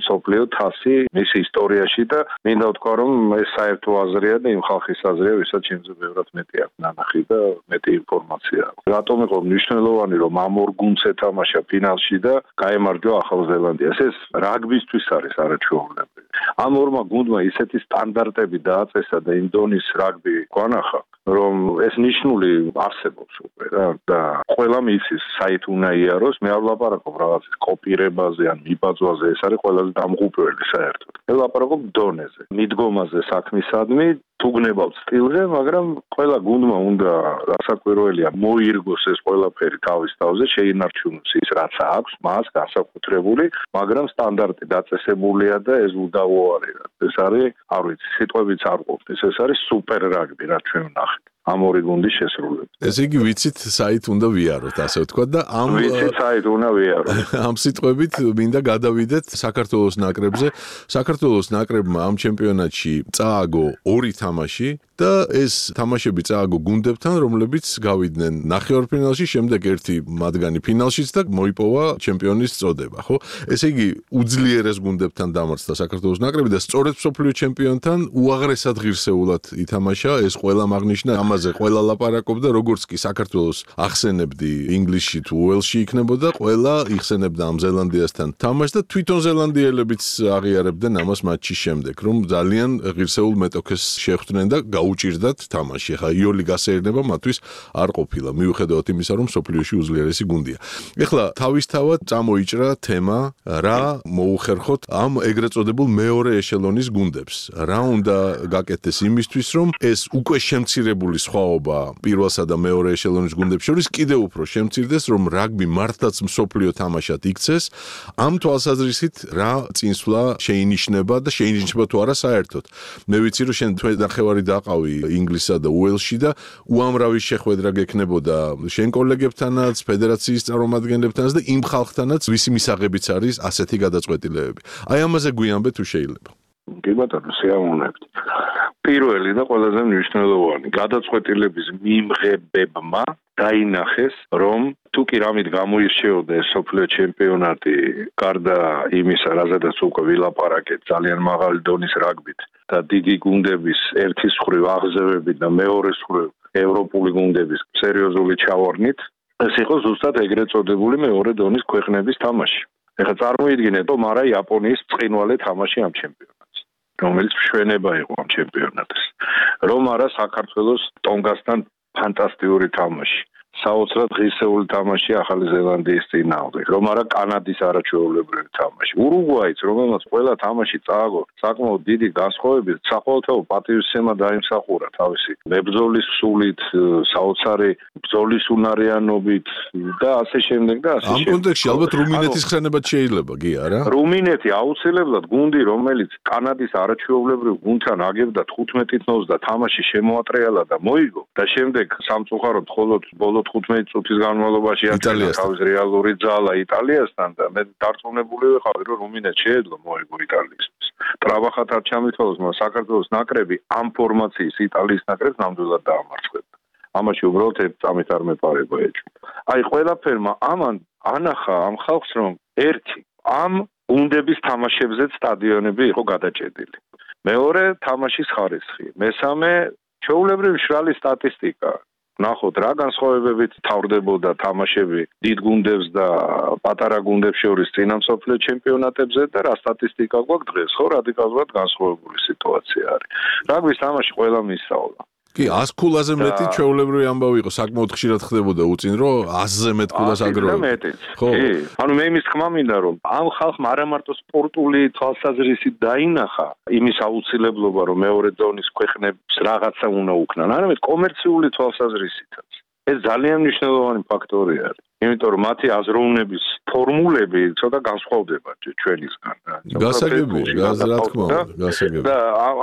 სოფლიო თასი მის ისტორიაში და მინდა ვთქვა, რომ ეს საერთო აზრია და იმ ხალხის აზრია, ვისაც ჩემზე ბევრად მეტი აქვს ნანახი და მეტი ინფორმაცია აქვს. რატომ იყო მნიშვნელოვანი, რომ ამ ორ გუნდს ეთამაშა ფინალში და გაემარჯვა ახალ ზელანდიას? ეს რაგბისთვის არის არაჩვეულებრივი. ამ ორმა გუნდმა ისეთი სტანდარტები დააწესა და იმ დონის რაგბი გვანახა, რომ ეს ნიშნული არსებობს უკვე რა და ყველა მიცის საით უნდა იაროს. მე არ ვლაპარაკობ რაღაცის კოპირებაზე ან მიბაძვაზე, ეს არის ყველაზე დამღუპველი საერთოდ. მე ვლაპარაკობ დონეზე, მიდგომაზე საქმისადმი, თუ გნებავთ სტილზე, მაგრამ ყველა გუნდმა უნდა რასაკვირველია მოირგოს ეს ყველაფერი თავის თავზე, შეინარჩუნოს ის რაც აქვს მას განსაკუთრებული, მაგრამ სტანდარტი დაწესებულია და ეს უდავო არის. ეს არის, არ ვიცი, სიტყვებიც არ ყოფნის, ეს არის სუპერ რაგბი, რაც ჩვენ ვნახეთ. ამ ორი გუნდის შესრულება. ესე იგი ვიცით საით უნდა ვიაროთ, ასე ვთქვათ და ვიცით საით უნდა ვიაროთ. ამ სიტყვებით მინდა გადავიდეთ საქართველოს ნაკრებზე. საქართველოს ნაკრებმა ამ ჩემპიონატში წააგო ორი თამაში და ეს თამაშები წააგო გუნდებთან, რომლებიც გავიდნენ ნახევარფინალში, შემდეგ ერთი მათგანი ფინალშიც და მოიპოვა ჩემპიონის წოდება, ხო? ესე იგი უძლიერეს გუნდებთან დამარცხდა საქართველოს ნაკრები და სწორედ მსოფლიო ჩემპიონთან უაღრესად ღირსეულად ითამაშა. ეს ყველამ აღნიშნა, ამაზე ყველა ლაპარაკობდა, როგორც კი საქართველოს ახსენებდი ინგლისში თუ უელსში იქნებოდა, ყველა იხსენებდა ამ ზელანდიასთან თამაშს და თვითონ ზელანდიელებიც აღიარებდნენ ამას მატჩის შემდეგ, რომ ძალიან ღირსეულ მეტოქეს შეხვდნენ და უჭირდათ თამაში. ახლა იოლი გასეირნება მათთვის არ ყოფილა, მიუხედავად იმისა, რომ სოფლიოში უძლიერესი გუნდია. ახლა თავისთავად წამოიჭრა თემა, რა მოუხერხოთ ამ ეგრეთ წოდებულ მეორე ეშელონის გუნდებს. რა უნდა გაკეთდეს იმისთვის, რომ ეს უკვე შემცირებული სხვაობა პირველსა და მეორე ეშელონის გუნდებს შორის კიდევ უფრო შემცირდეს, რომ რაგბი მართლაც მსოფლიო თამაშად იქცეს. ამ თვალსაზრისით რა წინსვლა შეინიშნება და შეინიშნება თუ არა საერთოდ. მე ვიცი, რომ შენ ნახევარი დაყავი ინგლისსა და უელსში და უამრავი შეხვედრა გექნებოდა შენ კოლეგებთანაც, ფედერაციის წარმომადგენლებთანაც და იმ ხალხთანაც, ვისი მისაღებიც არის ასეთი გადაწყვეტილებები. აი ამაზე გვიანბე თუ შეიძლება. კი ბატონო, სიამოვნებით. პირველი და ყველაზე მნიშვნელოვანი გადაწყვეტილების მიმღებებმა დაინახეს, რომ თუ კი რამით გამოირჩეოდა ეს სოფლიო ჩემპიონატი, გარდა იმისა, რაზედაც უკვე ვილაპარაკეთ, ძალიან მაღალი დონის რაგბით და დიდი გუნდების ერთის მხრივ აღზევებით და მეორეს მხრივ ევროპული გუნდების სერიოზული ჩავარდნით, ეს იყო ზუსტად ეგრეთ წოდებული მეორე დონის ქვეყნების თამაში. ეხლა წარმოიდგინეთ, რომ არა იაპონიის წყინვალე თამაში ამ ჩემპიონატს, რომელიც მშვენება იყო ამ ჩემპიონატს. რომ არა საქართველოს ტონგასთან ფანტასტიკური თამაში. საოცრად ღირსეული თამაში ახალი ზელანდიის წინააღმდეგ, რომ არა კანადის არაჩვეულებრივი თამაში. ურუგვაიც, რომელმაც ყველა თამაში წააგო საკმაოდ დიდი განსხვავებით, საყოველთაო პატივისცემა დაიმსახურა თავისი მებრძოლის სულით, საოცარი ბრძოლის უნარიანობით და ასე შემდეგ და ასე შემდეგ. ამ კონტექსტში ალბათ რუმინეთის ხსენებაც შეიძლება, გია რა? რუმინეთი აუცილებლად გუნდი, რომელიც კანადის არაჩვეულებრივ გუნდთან აგებდა 15 თავს და თამაში შემოატრიალა და მოიგო და შემდეგ სამწუხაროდ მხოლოდ ბოლო 15 წუთის განმავლობაში აკეთა თავის რეალური ძალა იტალიასთან და მე დარწმუნებული ვიყავი, რომ რუმინეთს შეეძლო მოიგო იტალიისთვის. ტრაბახად არ ჩამითვალოს, მაგრამ საქართველოს ნაკრები ამ ფორმაციის იტალიის ნაკრებს ნამდვილად დაამარცხებდა. ამაში უბრალოდ ერთ წამით არ მეპარება ეჭვი. აი ყველაფერმა ამან ანახა ამ ხალხს, რომ ერთი ამ გუნდების თამაშებზეც სტადიონები იყო გადაჭედილი. მეორე თამაშის ხარისხი, მესამე ჩვეულებრივი მშრალი სტატისტიკა. ნახოთ რა განსხვავებებით თავრდებოდა თამაშები დიდ გუნდებს და პატარა გუნდებს შორის წინა მსოფლიო ჩემპიონატებზე და რა სტატისტიკა გვაქვს დღეს, ხო, რადიკალურად განსხვავებული სიტუაცია არის. რაგბის თამაში ყველა მისწავლა. კი, 100 ქულაზე მეტი ჩვეულებრივი ამბავი იყო, საკმაოდ ხშირად ხდებოდა უწინ, რომ 100-ზე მეტ ქულას აგროვებდა. ხო. ანუ მე იმის თქმა მინდა, რომ ამ ხალხმა არა მარტო სპორტული თვალსაზრისით დაინახა იმის აუცილებლობა, რომ მეორე დონის ქვეყნებს რაღაცა უნდა უკნან, არამედ კომერციული თვალსაზრისითაც. ეს ძალიან მნიშვნელოვანი ფაქტორი არის. იმიტომ რომ მათი აზროვნების ფორმულები ცოტა განსხვავდება ჩვენისგან. გასაგებია, რა თქმა უნდა, გასაგებია. და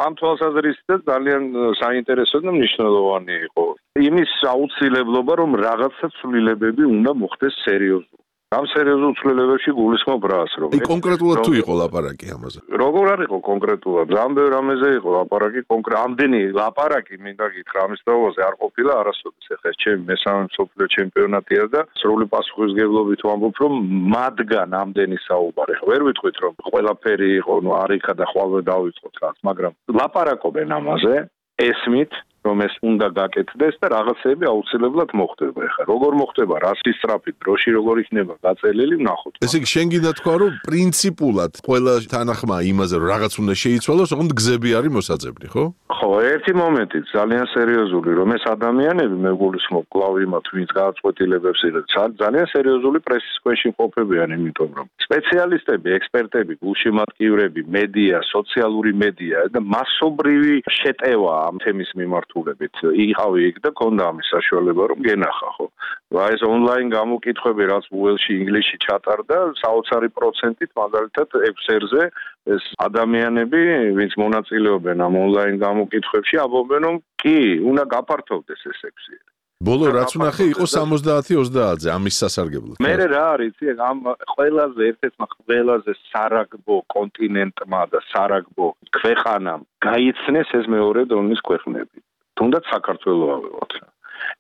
ამ თვალსაზრისითაც ძალიან საინტერესო და მნიშვნელოვანი იყო იმის აუცილებლობა, რომ რაღაცა ცვლილებები უნდა მოხდეს სერიოზულად. ამ სერიოზულ ცვლილებებში გულისხმობ რას, რომ კონკრეტულად თუ იყო ლაპარაკი ამაზე. როგორ არ იყო კონკრეტულად? ამბევ რამეზე იყო ლაპარაკი ამდენი ლაპარაკი მინდა გითხრა ამის დრო-ზე არ ყოფილა არასოდეს. ეხლა ჩემი მესამე მსოფლიო ჩემპიონატია და სრული პასუხისმგებლობით ვამბობ, რომ მათგან ამდენი საუბარი. ვერ ვიტყვით, რომ ყველაფერი იყო, ნუ არიქა და ხვალვე დავიწყოთ რაც, მაგრამ ლაპარაკობენ ამაზე, ესმით რომ ეს უნდა გაკეთდეს და რაღაცები აუცილებლად მოხდება. ეხლა როგორ მოხდება, რა სისწრაფით, დროში როგორ იქნება გაწელილი, ვნახოთ. ესე იგი შენ გინდა თქვა, რომ პრინციპულად ყველა თანახმა იმაზე რომ რაღაც უნდა შეიცვალოს, ოღონდ გზები არის მოსაძებნი, ხო? ხო, ერთი მომენტი ძალიან სერიოზული, რომ ეს ადამიანები მე გულისხმობ კლავ იმათ, ვინც გააწყვეტილებებს იღებს, ძალიან სერიოზული პრესის ქვეშ იმყოფებიან, იმიტომ რომ სპეციალისტები, ექსპერტები, გულშემატკივრები, მედია, სოციალური მედია და მასობრივი შეტევა ამ თემის მიმართ იყავი იქ და ქონდა ამის საშუალება რომ გენახა ხო. ეს ონლაინ გამოკითხვები რაც უელში ინგლისში ჩატარდა საოცარი პროცენტით მაგალითად ექსერზე ეს ადამიანები ვინც მონაწილეობენ ამ ონლაინ გამოკითხვებში ამბობენ რომ კი უნდა გაფართოვდეს ეს ექსერი. ბოლო რაც ვნახე იყო 70-30-ზე ამის სასარგებლოდ. მე რა არის ამ ყველაზე ერთ-ერთმა ყველაზე სარაგბო კონტინენტმა და სარაგბო ქვეყანამ გაიცნეს ეს მეორე დონის ქვეყნები. თუნდაც საქართველოს ავიღოთ.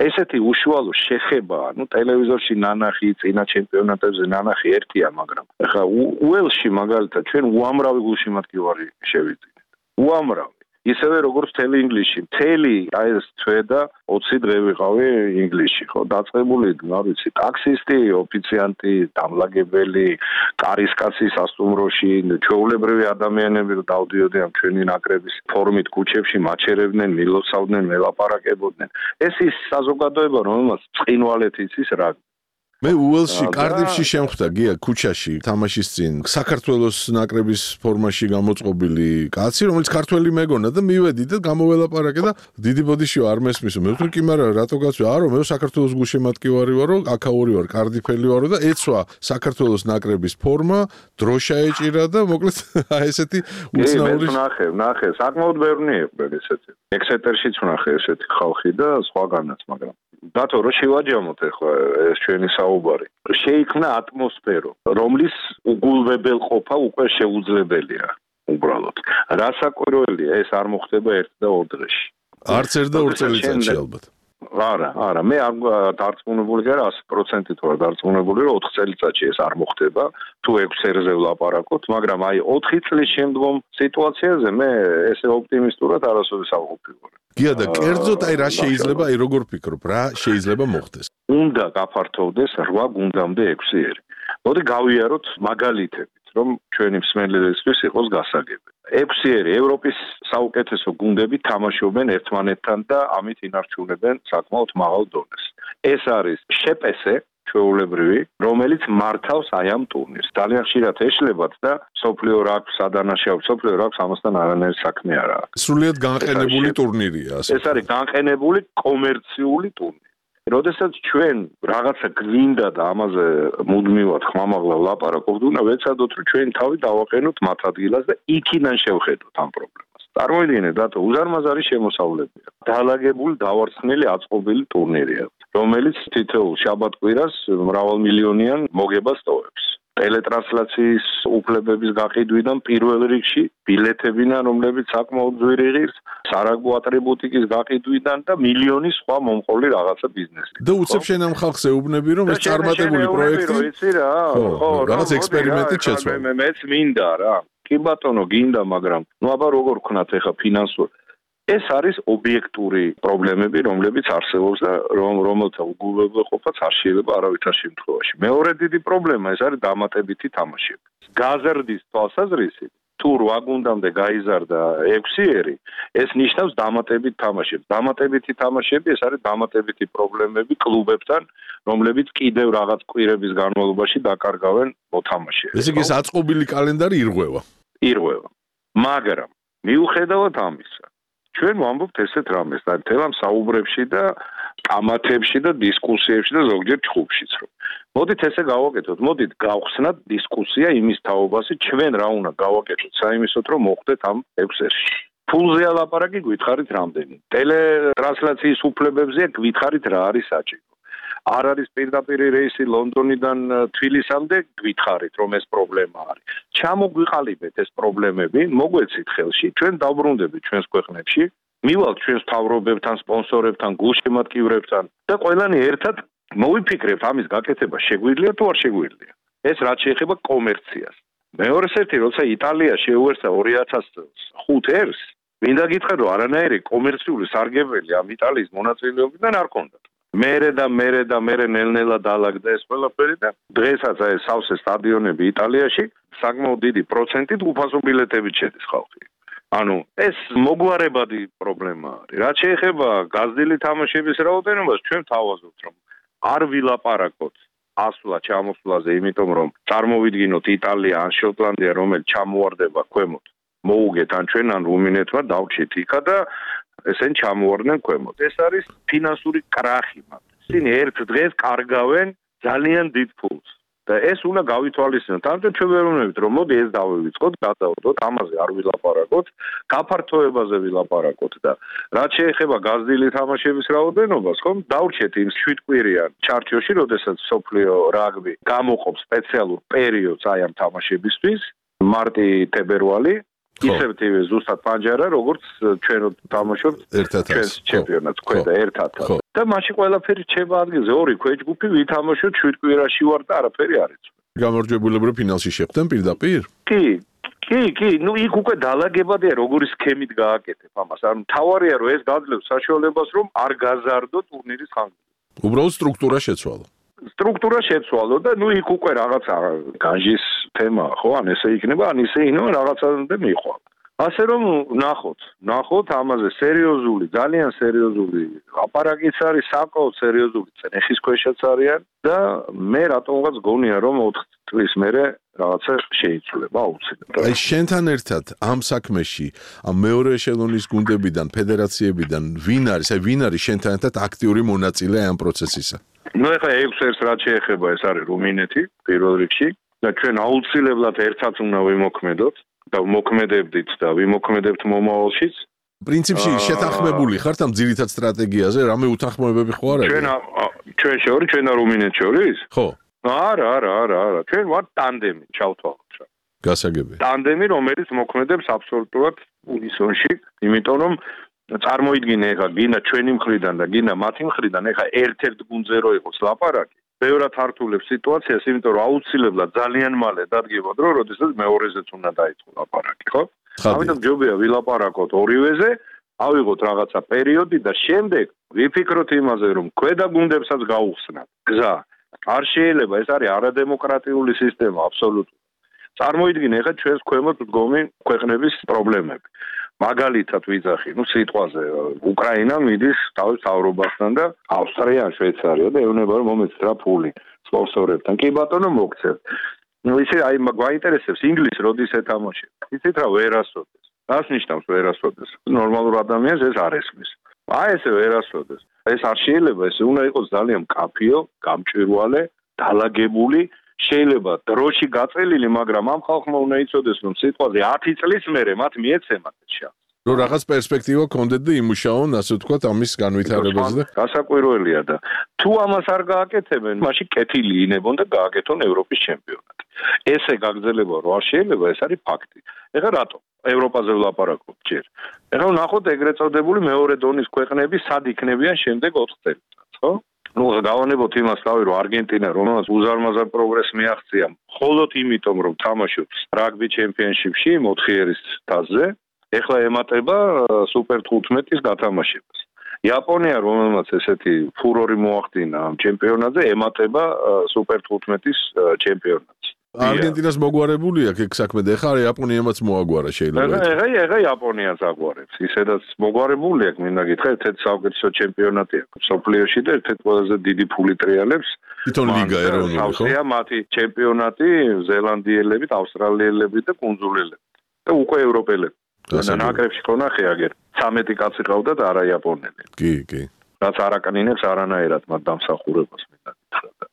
ესეთი უშუალო შეხება, ნუ ტელევიზორში ნანახი, წინა ჩემპიონატებზე ნანახი ერთია, მაგრამ ეხლა უელში მაგალითად ჩვენ უამრავი გულშემატკივარი შევიძინეთ. უამრავი. ისევე როგორც მთელი ინგლისში. მთელი აი ეს თვე და 20 დღე ვიყავი ინგლისში, ხო, დაწყებული, არ ვიცი, ტაქსისტი, ოფიციანტი, დამლაგებელი, კარისკაცი სასტუმროში, ჩვეულებრივი ადამიანები რომ დავდიოდი ამ ჩვენი ნაკრების ფორმით ქუჩებში მაჩერებდნენ, მილოცავდნენ, მელაპარაკებოდნენ. ეს ის საზოგადოება, რომელმაც წყინვალეთ იცის რა. მე უელსში, კარდიფში შემხვდა გია ქუჩაში თამაშის წინ საქართველოს ნაკრების ფორმაში გამოწყობილი კაცი, რომელიც ქართველი მეგონა და მივედი და გამოველაპარაკე და დიდი ბოდიში არ მესმისო. მე ვთქვი კი, მაგრამ რატო გაწვი? არო, მე საქართველოს გულშემატკივარი ვარო, აქაური ვარ, კარდიფელი ვარო და ეცვა საქართველოს ნაკრების ფორმა, დროშა ეჭირა და მოკლედ ესეთი უცნაური. ნახე, საკმაოდ ბევრი იყო ესეთი. ექსეტერშიც ვნახე ესეთი ხალხი და სხვაგანაც, მაგრამ დათო რო შევაჯამოთ ახლა ეს ჩვენი საუბარი. შეიქმნა ატმოსფერო, რომლის უგულვებელყოფა უკვე შეუძლებელია. უბრალოდ. რასაკვირველია, ეს არ მოხდება ერთ და ორ დღეში. არც ერთ და ორ წელიწადში ალბათ. არა, მე არ დარწმუნებული ვარ 100%-ით ვარ დარწმუნებული, რომ 4 წელიწადში ეს არ მოხდება, თუ 6 წელზე ვლაპარაკოთ, მაგრამ აი 4 წლის შემდგომ სიტუაციაზე მე ესე ოპტიმისტურად არასოდეს არ ვფიქრობ. გია და კერძოდ აი რა შეიძლება, აი როგორ ფიქრობ, რა შეიძლება მოხდეს? უნდა გაფართოვდეს 8 გუნდამდე 6-ერი. მოდი გავიაროთ მაგალითებით, რომ ჩვენი მსმენელისთვის იყოს გასაგები. 6-ერი ევროპის საუკეთესო გუნდები თამაშობენ ერთმანეთთან და ამით ინარჩუნებენ საკმაოდ მაღალ დონეს. ეს არის შეპესე ჩვეულებრივი, რომელიც მართავს აი ამ ტურნირს. ძალიან ხშირად ეშლებათ და სოფლიო რაგბს ადანაშაულებს, სოფლიო რაგბს ამასთან არანაირი საქმე არ აქვს. სრულიად განყენებული ტურნირია, ასე. ეს არის განყენებული კომერციული ტურნირი. როდესაც ჩვენ რაღაცა გვინდა და ამაზე მუდმივად ხმამაღლა ვლაპარაკობთ, უნდა ვეცადოთ, რომ ჩვენ თავი დავაყენოთ მათ ადგილას და იქიდან შევხედოთ ამ პრობლემას. წარმოიდგინეთ, დათო, უზარმაზარი შემოსავლებია. დაალაგებული, დავარცხნილი, აწყობილი ტურნირია, რომელიც თითოეულ შაბათ-კვირას მრავალმილიონიან მოგებას ტოვებს. ტელეტრანსლაციის უფლებების გაყიდვიდან პირველ რიგში ბილეთებიდან, რომლებიც საკმაოდ ძვირი ღირს, სარაგბო ატრიბუტიკის გაყიდვიდან და მილიონი სხვა მომყოლი რაღაცა ბიზნესი. და უცებ შენ ამ ხალხს ეუბნები, რომ ეს წარმატებული პროექტი, ხო, რაღაც ექსპერიმენტით შეცვალა. მეც მინდა რა. კი ბატონო, გინდა, მაგრამ აბა როგორ ვქნათ ეხა ფინანსურ ეს არის ობიექტური პრობლემები, რომლებიც არსებობს და რომელთა უგულებელყოფაც არ შეიძლება არავითარ შემთხვევაში. მეორე დიდი პრობლემა ეს არის დამატებითი თამაშები. გაზრდის თვალსაზრისით თუ 8 გუნდამდე გაიზარდა 6-ერი, ეს ნიშნავს დამატებით თამაშებს. დამატებითი თამაშები ეს არის დამატებითი პრობლემები კლუბებთან, რომლებიც კიდევ რაღაც კვირების განმავლობაში დაკარგავენ მოთამაშეებს. ესე იგი ეს აწყობილი კალენდარი ირღვევა. ირღვევა. მაგრამ მიუხედავად ამისა, ჩვენ ვამბობთ ესეთ რამეს და მთელ ამ საუბრებში და კამათებში და დისკუსიებში და ზოგჯერ ჩხუბშიც რომ მოდით ესე გავაკეთოთ, მოდით გავხსნათ დისკუსია იმის თაობაზე, ჩვენ რა უნდა გავაკეთოთ საიმისოდ რომ მოხდეთ ამ 6-ში. ფულზე ალაპარაკი გითხარით რამდენი. ტელეტრანსლაციის უფლებებზე გითხარით რა არის საჭირო. არ არის პირდაპირ რეისი ლონდონიდან თბილისამდე გითხარით რომ ეს პრობლემა არის. ჩამოგვიყალიბეთ ეს პრობლემები, მოგვეცით ხელში, ჩვენ დავბრუნდებით ჩვენს ქვეყნებში, მივალთ ჩვენს მთავრობებთან, სპონსორებთან, გულშემატკივრებთან და ყველანი ერთად მოვიფიქრებთ ამის გაკეთება შეგვიძლია თუ არ შეგვიძლია. ეს რაც შეეხება კომერციას. მეორე ერთი, როცა იტალია შეუერთდა 2005 წელს, მინდა გითხრათ რომ არანაირი კომერციული სარგებელი ამ იტალიის მონაწილეობიდან არ ჰქონდათ. მერე ნელ-ნელა დაალაგდა ეს ყველაფერი და დღესაც ეს სავსე სტადიონები იტალიაში საკმაოდ დიდი პროცენტით უფასო ბილეთებით შედის ხალხი. ანუ ეს მოგვარებადი პრობლემა არის. რაც შეეხება გაზრდილი თამაშების რაოდენობას, ჩვენ თავაზობთ რომ არ ვილაპარაკოთ ასვლა-ჩამოსვლაზე, იმიტომ რომ წარმოვიდგინოთ იტალია ან შოტლანდია, რომელიც ჩამოვარდება ქვემოთ, მოუგეთ ან ჩვენ ან რუმინეთმა დავჭით იქა და ესენ ჩამოვარდნენ ქვემოთ. ეს არის ფინანსური კრახი მათ. ისინი ერთ დღეს კარგავენ ძალიან დიდ ფულს. და ეს უნდა გავითვალისწინოთ. ამიტომ ჩვენ ვერ ვუნებით რომ მოდი ეს დავივიწყოთ, გადავდოთ, ამაზე არ ვილაპარაკოთ, გაფართოებაზე ვილაპარაკოთ და რაც შეეხება გაზრდილი თამაშების რაოდენობას, ხომ, დავრჩეთ იმ 7 კვირიან ჩარჩოში, როდესაც სოფლიო რაგბი გამოყოფს სპეციალურ პერიოდს აი ამ თამაშებისთვის, მარტი-თებერვალი ისევ ზუსტად პანჯარა, როგორც ჩვენ თამაშობთ ჩვენს ჩემპიონატს, ქვედა ერთად. და მაშინ ყველაფერი რჩება ადგილზე, ორი ქვეჯგუფი ვითამაშოთ 7 კვირაში ვარ და არაფერი არ იცვლება. გამარჯვებულები ფინალში შეხვდნენ პირდაპირ? კი, ნუ იქ უკვე დაალაგებადია როგორი სქემით გააკეთებ ამას. ანუ თავარია რომ ეს გაძლევს საშუალებას რომ არ გაზარდო ტურნირის ხანგრძლივობა. უბრალოდ სტრუქტურა შეცვალა. სტრუქტურა შეცვალო და ნუ იქ უკვე რაღაცა განჯის თემა ხო, ან ესე იქნება, ან ისე იქნება რაღაცამდე მიხვალ. ასე რომ ნახოთ ამაზე სერიოზული, ძალიან სერიოზული ლაპარაკიც არის, საკმაოდ სერიოზული წნეხის ქვეშაც არიან და მე რატომღაც გონია რომ 4 წლის მერე რაღაცა შეიცვლება აუცილებლად. აი შენთან ერთად ამ საქმეში, ამ მეორე ეშელონის გუნდებიდან, ფედერაციებიდან ვინ არის შენთან ერთად აქტიური მონაწილე ამ პროცესისა? ნუ ეხლა 6-ს რაც შეეხება ეს არის რუმინეთი პირველ რიგში და ჩვენ აუცილებლად ერთად უნდა ვიმოქმედოთ და ვიმოქმედებდით და ვიმოქმედებთ მომავალშიც. პრინციპში შეთანხმებული ხართ ამ ძირითად სტრატეგიაზე, რამე უთანხმოებები ხო არ არის? ჩვენ შორის, ჩვენ და რუმინეთ შორის? ხო. არა. ჩვენ ვართ ტანდემი, ჩავთვალოთ რა. გასაგებია. ტანდემი, რომელიც მოქმედებს აბსოლუტურად უნისონში, იმიტომ რომ წარმოიდგინე ეხლა გინდა ჩვენი მხრიდან და გინდა მათი მხრიდან ეხლა ერთ-ერთ გუნდზე რო იყოს ლაპარაკი, ბევრად ართულებს სიტუაციას, იმიტომ რომ აუცილებლად ძალიან მალე დადგება დრო, როდესაც მეორეზეც უნდა დაიწყო ლაპარაკი, ხო? ამიტომ ჯობია ვილაპარაკოთ ორივეზე, ავიღოთ რაღაცა პერიოდი და შემდეგ ვიფიქროთ იმაზე, რომ ქვედა გუნდებსაც გაუხსნათ. გზა არ შეიძლება, ეს არის არადემოკრატიული სისტემა აბსოლუტურად. წარმოიდგინე ეხლა ჩვენს ქვემოთ მდგომი ქვეყნების პრობლემები. მაგალითად ვიძახი, სიტყვაზე უკრაინა მიდის თავის თავრობასთან და ავსტრია, შვეიცარია და ეუბნება რომ მომეცით რა ფული სპონსორებთან. კი ბატონო მოგცევთ. ისე აი გვაინტერესებს ინგლისი როდის ეთამაშებს. იცით რა ვერასოდეს. რას ნიშნავს ვერასოდეს? ნორმალურ ადამიანს ეს არ ესმის. აი ესე ვერასოდეს. ეს არ შეიძლება, ეს უნდა იყოს ძალიან მკაფიო, გამჭვირვალე, დაალაგებული. შეიძლება დროში გაწელილი, მაგრამ ამ ხალხმა უნდა იცოდეს, რომ სიტყვაზე 10 წლის მერე მათ მიეცემათ შანსი. რომ რაღაც პერსპექტივა კონდეთ და იმუშაონ, ასე ვთქვათ, ამის განვითარებაზე და გასაკვირველია და თუ ამას არ გააკეთებენ, მაშინ კეთილი ინებონ და გააკეთონ ევროპის ჩემპიონატი. ესე გაგრძელება რო არ შეიძლება, ეს არის ფაქტი. ეხლა რატო? ევროპაზე ვლაპარაკობ ჯერ. ეხლა ნახოთ ეგრეთ წოდებული მეორე დონის ქვეყნები სად იქნებიან შემდეგ 4 წელიწადს, ხო? ნუ გავანებოთ იმას თავი, რომ არგენტინა, რომელსაც უზარმაზარ პროგრესს მიაღწია, მხოლოდ იმიტომ, რომ თამაშობს რაგბი ჩემპიონშიპში 4 ერის თასზე, ეხლა ემატება სუპერ 15-ის გათამაშებას. იაპონია, რომელმაც ესეთი ფურორი მოახდინა ამ ჩემპიონატზე, ემატება სუპერ 15-ის ჩემპიონატს. არგენტინას მოგვარებული აქვს ეგ საქმე და ეხლა იაპონიამაც მოაგვარა შეიძლება. ეხლა იაპონიას აგვარებს. ისედაც მოგვარებული აქვს, მინდა გითხრა, ერთ-ერთი საუკეთესო ჩემპიონატი აქვს სოფლიოში და ერთ-ერთი ყველაზე დიდი ფული ტრიალებს. თვითონ ლიგა ეროვნული, ხო? ავსტრია მათი ჩემპიონატი ზელანდიელებით, ავსტრალიელებით და კუნძულელებით. და უკვე ევროპელები. ნაკრებში ხონახე აგერ 13 კაცი ყავდათ არა იაპონელი. კი. რაც არაკნინებს არანაირად მათ დამსახურებას მინდა გითხრა.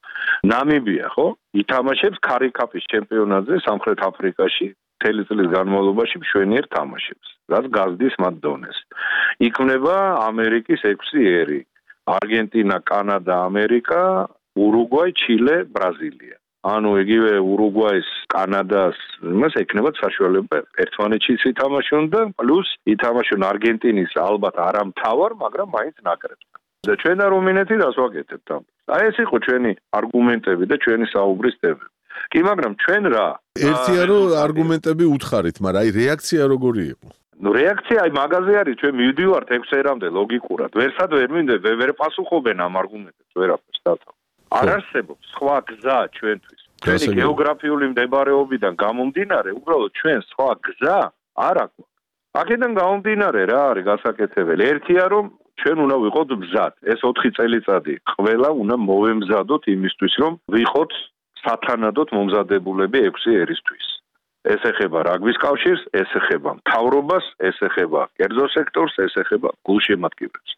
ნამიბია, ხო? ითამაშებს ქარიკაპის ჩემპიონატზე სამხრეთ აფრიკაში, მთელი წლის განმავლობაში მშვენიერ თამაშებს, რაც გაზდის მათ დონეს. იქმნება ამერიკის 6 ერი: არგენტინა, კანადა, ამერიკა, ურუგვაი, ჩილე, ბრაზილია. ანუ იგივე ურუგვაის, კანადას, იმას ექნებათ საშუალება ერთმანეთშიც ითამაშონ და პლუს ითამაშონ არგენტინის ალბათ არა მთავარ, მაგრამ მაინც ნაკრებს. და ჩვენ რუმინეთი რას ვაკეთებთ ამ? აი ეს იყო ჩვენი არგუმენტები და ჩვენი საუბრის თემები. კი, მაგრამ ჩვენ რა? ერთია რომ არგუმენტები უთხარით, მაგრამ აი რეაქცია როგორი იყო? ნუ რეაქცია აი მაგაზე არის, ჩვენ მივდივართ 6 ერამდე ლოგიკურად. ვერსად ვერ პასუხობენ ამ არგუმენტებს, ვერაფერს დათავ. არ არსებობს სხვა გზა ჩვენთვის. ჩვენი გეოგრაფიული მდებარეობიდან გამომდინარე, უბრალოდ ჩვენ სხვა გზა არ აქვს. აქედან გამომდინარე რა არის გასაკეთებელი? ერთია რომ ჩვენ უნდა ვიყოთ მზად. ეს 4 წელიწადი ყველა უნდა მოვემზადოთ იმისთვის, რომ ვიყოთ სათანადოდ მომზადებულები 6 ერისთვის. ეს ეხება რაგბის კავშირს, ეს ეხება მთავრობას, ეს ეხება კერძო სექტორს, ეს ეხება გულშემატკივრებს.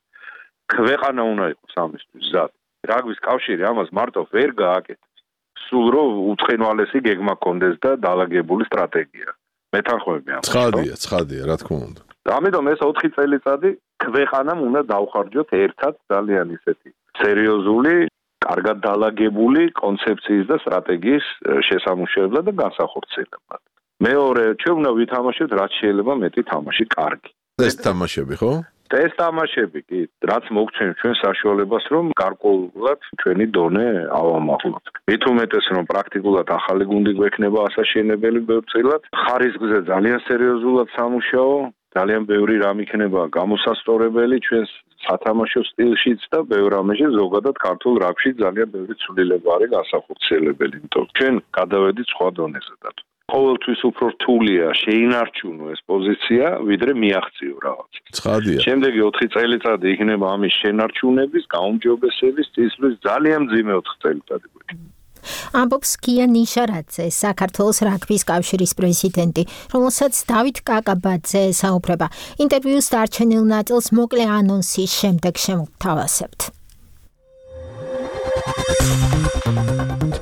ქვეყანა უნდა იყოს ამისთვის მზად. რაგბის კავშირი ამას მარტო ვერ გააკეთებს. სულ რომ უცხინვალესი გეგმა კონდეს და დაალაგებული სტრატეგია. მეთანხმები ამას. ცხადია, რა თქმა უნდა. ამიტომ ეს 4 წელიწადი ქვეყანამ უნდა დავხარჯოთ ერთად ძალიან ისეთი სერიოზული, კარგად დაალაგებული კონცეფციის და სტრატეგიის შესამუშავებლად და განსახორციელებლად. მეორე, ჩვენ უნდა ვითამაშოთ რაც შეიძლება მეტი თამაში კარგი. ეს თამაშები, ხო? ეს თამაშები კი, რაც მოგცემს ჩვენ საშუალებას, რომ გარკვეულად ჩვენი დონე ავამაღლოთ. მით უმეტეს, რომ პრაქტიკულად ახალი გუნდი გვექნება ასაშენებელი ბევრწილად, ხარისხზე ძალიან სერიოზულად სამუშაო, ძალიან ბევრი რამ იქნება გამოსასწორებელი ჩვენს სათამაშო სტილშიც და ბევრ რამეში ზოგადად ქართულ რაგბში ძალიან ბევრი ცვლილება არის განსახორციელებელი, იმიტომ ჩვენ გადავედით სხვა დონეზე და ყოველთვის უფრო რთულია შეინარჩუნო ეს პოზიცია, ვიდრე მიაღწიო რაღაც. ცხადია. შემდეგი 4 წელიწადი იქნება ამის შენარჩუნების, გაუმჯობესების, წესრიგის ძალიან მძიმე 4 წელიწადი. ამბობს გია ნიშარაძე, საქართველოს რაგბის კავშირის პრეზიდენტი, რომელსაც დავით კაკაბაძე საუბრება. ინტერვიუს დარჩენილ ნაწილს მოკლე ანონსის შემდეგ შემოგთავაზებთ.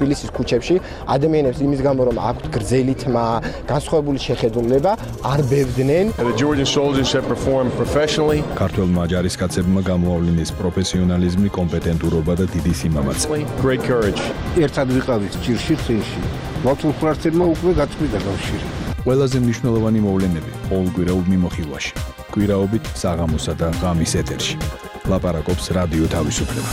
თბილისის ქუჩებში ადამიანებს იმის გამო რომ აქვთ გრძელი თმა, განსხვავებული შეხედულება, არ ბევდნენ. The Georgian soldiers have performed professionally. ქართველმა ჯარისკაცებმა გამოავლინეს პროფესიონალიზმი, კომპეტენტურობა და დიდი სიმამაცე. Great courage. ერთად ვიყავით ჭირში წინში. მართულ ფრთებმა უკვე გაწყვიტა კავშირი. ყველაზე მნიშვნელოვანი მოვლენები ყოველკვირეულ მიმოხილვაში. კვირაობით საღამოსა და ღამის ეთერში. ლაპარაკობს რადიო თავისუფლება.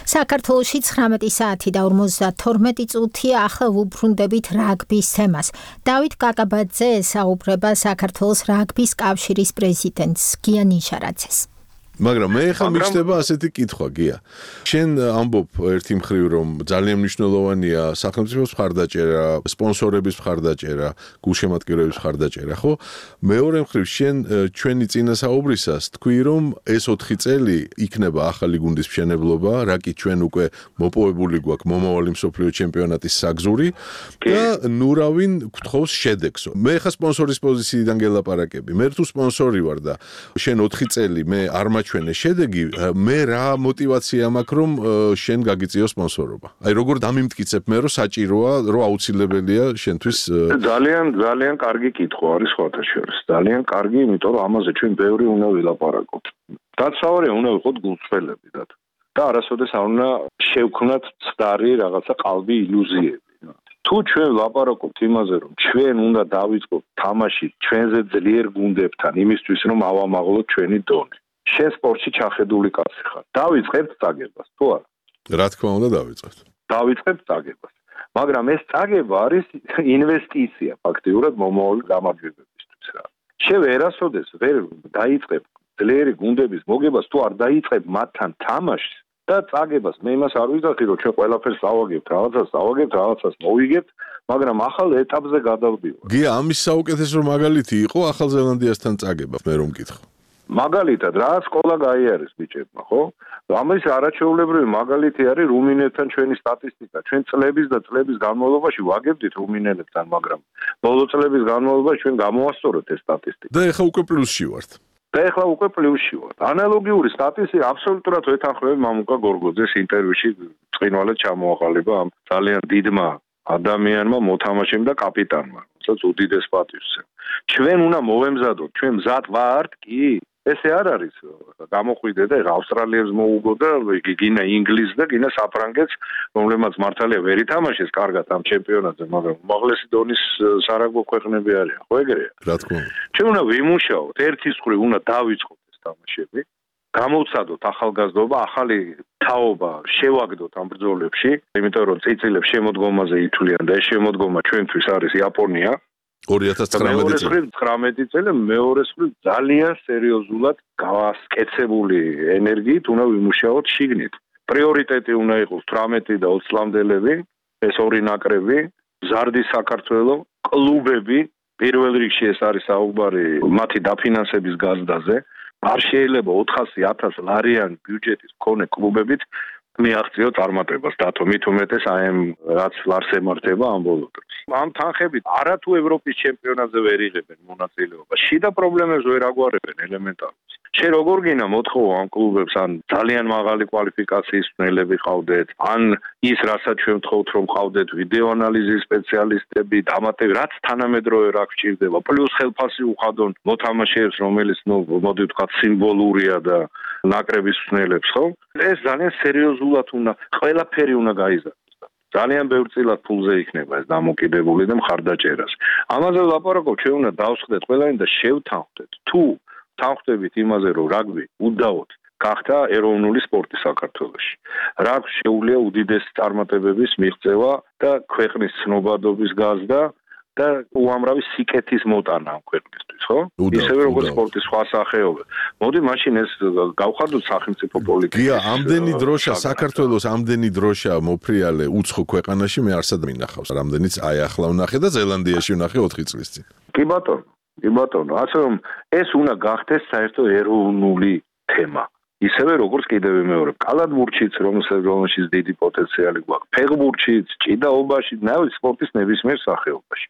საქართველოში 19 საათი და 52 წუთია ახლა ვუბრუნდებით რაგბის თემას. დავით კაკაბაძე საუბრება საქართველოს რაგბის კავშირის პრეზიდენტს გია ნიშარაძეს. მაგრამ მე ხა მიშდება ასეთი კითხვა გია. შენ ამბობ ერთი მხრივ რომ ძალიან მნიშვნელოვანია სახელმწიფოს მხარდაჭერა, სპონსორების მხარდაჭერა, გულშემატკივრების მხარდაჭერა, ხო? მეორე მხრივ შენ ჩვენი წინასაუბრისას თქვი რომ ეს 4 წელი იქნება ახალი გუნდის მშენებლობა, რა კი ჩვენ უკვე მოპოვებული გვაქვს მომავალი მსოფლიო ჩემპიონატის საგზური და ნურავინ გთხოვს შედეგს. მე ხა სპონსორის პოზიციიდან გელაპარაკები. მე თუ სპონსორი ვარ და შენ 4 წელი მე არ ჩვენი შედეგი, მე რა мотиваცია მაქვს რომ შენ გაგიწიო სპონსორობა. აი როგორ დამიმტკიცებ მე რომ საჭიროა, რომ აუცილებელია შენთვის ძალიან კარგი კითხვა არის სხვათა შორის. ძალიან კარგი, იმიტომ რომ ამაზე ჩვენ ბევრი უნდა ვილაპარაკოთ. დაცავარია უნდა ვიყოთ გულწრფელები და არასოდეს არ უნდა შევქმნათ ცდარი რაღაცა ყალბი ილუზიები. თუ ჩვენ ვლაპარაკობთ იმაზე რომ ჩვენ უნდა დავიწყოთ თამაში ჩვენზე ძლიერ გუნდებთან იმისთვის რომ ავამაღლოთ ჩვენი დონე. შენ სპორტში ჩახედული კაცი ხარ. დავიწყებთ წაგებას, თუ არა? რა თქმა უნდა დავიწყებთ. დავიწყებთ წაგებას. მაგრამ ეს წაგება არის ინვესტიცია ფაქტიურად მომავალი გამარჯვებებისთვის რა. შენ ვერასოდეს ვერ დაიწყებ ძლიერი გუნდების მოგებას თუ არ დაიწყებ მათთან თამაშს და წაგებას მე იმას არ ვიზახი რომ ჩვენ ყველაფერს ავაგებთ, რაღაცას მოვიგებთ, მაგრამ ახალ ეტაპზე გადავდივართ. გია, ამის საუკეთესო მაგალითი იყო ახალ ზელანდიასთან წაგება, მე რომ მკითხო. მაგალითად, რა სკოლა გაიარეს ბიჭებმა, ხო? ამის არაჩვეულებრივი მაგალითი არის რუმინელთან ჩვენი სტატისტიკა. ჩვენ წლების და წლების განმავლობაში ვაგებდით რუმინელებთან, მაგრამ ბოლო წლების განმავლობაში ჩვენ გამოვასწორეთ ეს სტატისტიკა. და ეხლა უკვე პლუსში ვართ. ანალოგიური სტატისტიკა აბსოლუტურად ვეთანხმები მამუკა გორგოძეს ინტერვიუში წინვალედ ჩამოაყალიბა ამ ძალიან დიდმა ადამიანმა, მოთამაშემ და კაპიტანმა, რომელსაც უდიდეს პატივს. ჩვენ უნდა მოვემზადოთ, ჩვენ მზად ვართ კი? ესე არ არის. გამოყვიდე და ავსტრალიებს მოუგო და გინა ინგლისს და გინა საფრანგეთს, რომლებმაც მართალია ვერ ითამაშეს კარგად ამ ჩემპიონატზე, მაგრამ უმაღლესი დონის სარაგბო ქვეყნები არიან, ხო ეგრეა? რა თქმა უნდა. ჩვენ უნდა ვიმუშაოთ, ერთის მხრივ უნდა დავიწყოთ ეს თამაშები, გამოვცადოთ ახალგაზრდობა, ახალი თაობა შევაგდოთ ამ ბრძოლებში, იმიტომ რომ წიწილებს შემოდგომაზე ითვლიან და ეს შემოდგომა ჩვენთვის არის იაპონია. 2019 წელი მეორე მხრივ ძალიან სერიოზულად გავასკეცებული ენერგიით უნდა ვიმუშაოთ შიგნით. პრიორიტეტი უნდა იყოს 18 და 20 წლამდელები, ეს ორი ნაკრები, მზარდი საქართველოს კლუბები, პირველ რიგში ეს არის საუბარი მათი დაფინანსების გაზრდაზე. არ შეიძლება 400,000 ლარიანი ბიუჯეტის მქონე კლუბებით მიაღწიოთ წარმატებას დათო მით უმეტეს აი ამ რაც ლარს ემართება ამ ბოლო დროს. ამ თანხებით არათუ ევროპის ჩემპიონატზე ვერ იღებენ მონაწილეობას. შიდა პრობლემებს ვერ აგვარებენ ელემენტარულად. შენ როგორ გინდა მოთხოვო ამ კლუბებს ან ძალიან მაღალი კვალიფიკაციის მცველები ყავდეთ, ან ის რასაც ჩვენ ვთხოვთ რომ ყავდეთ ვიდეო ანალიზის სპეციალისტები, დამატებით რაც თანამედროვე რა გვჭირდება, პლუს ხელფასი უხადონ მოთამაშეებს, რომელიც მოდი ვთქვათ სიმბოლურია და ნაკრების მცველებს, ხო? ეს ძალიან სერიოზულად უნდა ყველაფერი უნდა გაიზარდოს. ძალიან ბევრ წილად ფულზე იქნება ეს დამოკიდებული და მხარდაჭერას. ამაზე ვლაპარაკობ, ჩვენ უნდა დავსხდეთ ყველანი და შევთანხმდეთ. თუ თანხმდებით იმაზე, რომ რაგბი უდაოდ გახდა ეროვნული სპორტი საქართველოში. რაგბს შეუძლია უდიდესი წარმატებების მიღწევა და ქვეყნის ცნობადობის გაზრდა და უამრავი სიკეთის მოტანა ამ ქვეყნისთვის, ხო? ისევე როგორც სპორტის სხვა სახეობა. მოდი მაშინ ეს გავხადოთ სახელმწიფო პოლიტიკაში. გია, ამდენი დროშა საქართველოს ამდენი დროშა მოფრიალე უცხო ქვეყანაში მე არსად მინახავს. რამდენიც აი ახლა ვნახე და ზელანდიაში ვნახე 4 წლის წინ. კი ბატონო, ასე რომ ეს უნდა გახდეს საერთო ეროვნული თემა. ისევე როგორც კიდევ მეორე კალათბურთშიც, რომელშიც დიდი პოტენციალი გვაქვს, ფეხბურთშიც, ჭიდაობაში, სპორტის ნებისმიერ სახეობაში.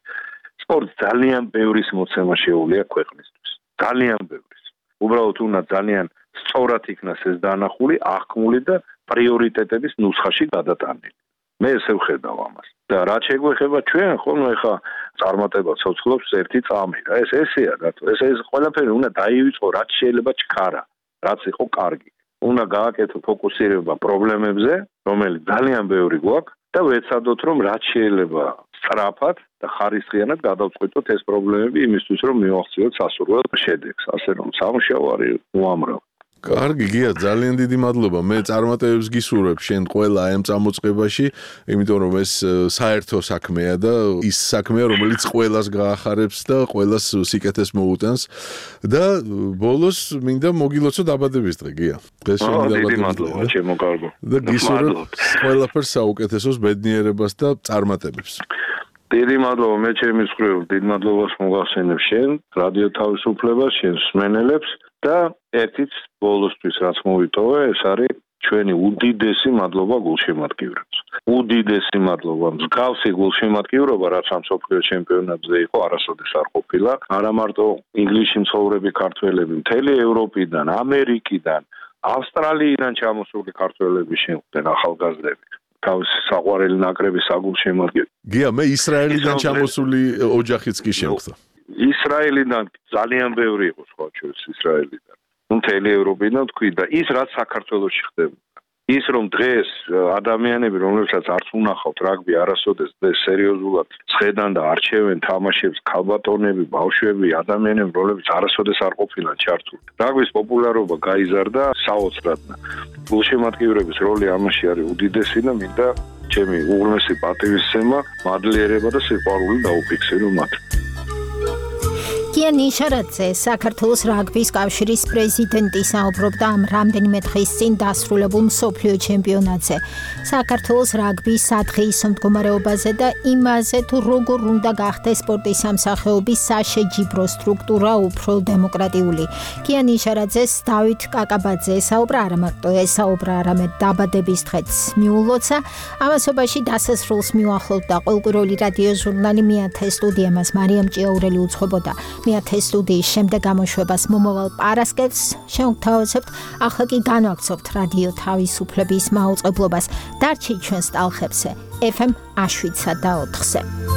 სპორტს ძალიან ბევრის მოცემა შეუძლია ქვეყნისთვის. ძალიან ბევრის. უბრალოდ უნდა ძალიან სწორად იქნას ეს დანახული, აღქმული და პრიორიტეტების ნუსხაში გადატანილი. მე ესე ვხედავ ამას. და რაც შეგვეხება ჩვენ, ხოლმე ხა წარმატება ცოცხლობს ერთი წამი რა. ესეა რატო? ეს ყველაფერი უნდა დაივიწყო, რაც შეიძლება ჩქარა. რაც იყო კარგი. უნდა გააკეთო ფოკუსირება პრობლემებზე, რომელიც ძალიან ბევრი გვაქვს და ვეცადოთ რომ რაც შეიძლება სწრაფად და ხარისხიანად გადავწყვეტოთ ეს პრობლემები იმისთვის რომ მივახციოთ სასურველ შედეგს. ასე რომ სამუშაო არის უამრავი. კარგი გია, ძალიან დიდი მადლობა. მე წარმატებებს გისურვებ შენ ყველა აი ამ წამოწყებაში, იმიტომ რომ ეს საერთო საქმეა და ის საქმეა, რომელიც ყველას გაახარებს და ყველას სიკეთეს მოუტანს და ბოლოს მინდა მოგილოცო დაბადების დღე გია. დღეს შენი დაბადების დღე. ჩემო კარგო. და გისურვებ ყველაფერს საუკეთესოს, ბედნიერებას და წარმატებებს. დიდი მადლობა, მე ჩემი მხრივ დიდ მადლობას მოგახსენებ შენ, რადიო თავისუფლებას, შენ მსმენელებს და ერთიც ბოლოსთვის რაც მოვიტოვე, ეს არის ჩვენი უდიდესი მადლობა გულშემატკივრებს. უდიდესი მადლობა. მსგავსი გულშემატკივრობა, რაც ამ მსოფლიო ჩემპიონატზე იყო, არასოდეს არ ყოფილა. არა მარტო ინგლისში მცხოვრები ქართველები, მთელი ევროპიდან, ამერიკიდან, ავსტრალიიდან ჩამოსული ქართველები შეხვდნენ ახალგაზრდები. თავის საყვარელი ნაკრების საგულშემატკივრები. გია, მე ისრაელიდან ჩამოსული ოჯახიც კი შემხვდა. ისრაელიდან ძალიან ბევრი იყო სხვა ჩვენს ისრაელიდან. მთელი ევროპიდან თქვი და ის რაც საქართველოში ხდებოდა. ის რომ დღეს ადამიანები რომლებსაც არც უნახავთ რაგბი არასოდეს სერიოზულად ცხედან და არჩევენ თამაშებს ქალბატონები, ბავშვები, ადამიანები რომლებიც არასოდეს არ ყოფილან ჩართული. რაგბის პოპულარობა გაიზარდა საოცრად. გულშემატკივრების როლი ამაში არის უდიდესი და მინდა ჩემი უღრმესი პატივისცემა, მადლიერება და სიყვარული დაუფიქსირო მათ. კია ნიშარაძე, საქართველოს რაგბის კავშირის პრეზიდენტი საუბრობდა ამ რამდენიმე დღის წინ დასრულებულ მსოფლიო ჩემპიონატზე. საქართველოს რაგბის სადღეისო მდგომარეობაზე და იმაზე, თუ როგორ უნდა გახდეს სპორტის სამსახეობის საშეჯიბრო სტრუქტურა უფრო დემოკრატიული. კია ნიშარაძეს დავით კაკაბაძე საუბრა არა მარტო ესაუბრა, არამედ დაბადების დღეც მიულოცა. ამასობაში დასასრულს მიუახლოვდა ყოველკვირეული რადიო ჟურნალი მეათე სტუდია მას მარიამ ჭიაურელი უძღვებოდა. მეათე სტუდიის შემდეგ გამოშვებას მომავალ პარასკევს შევთავაზებთ, ახლა კი განვაგრძობთ რადიო თავისუფლების მაუწყებლობას. დარჩით ჩვენს ტალხებზე FM 7 და 4-ზე.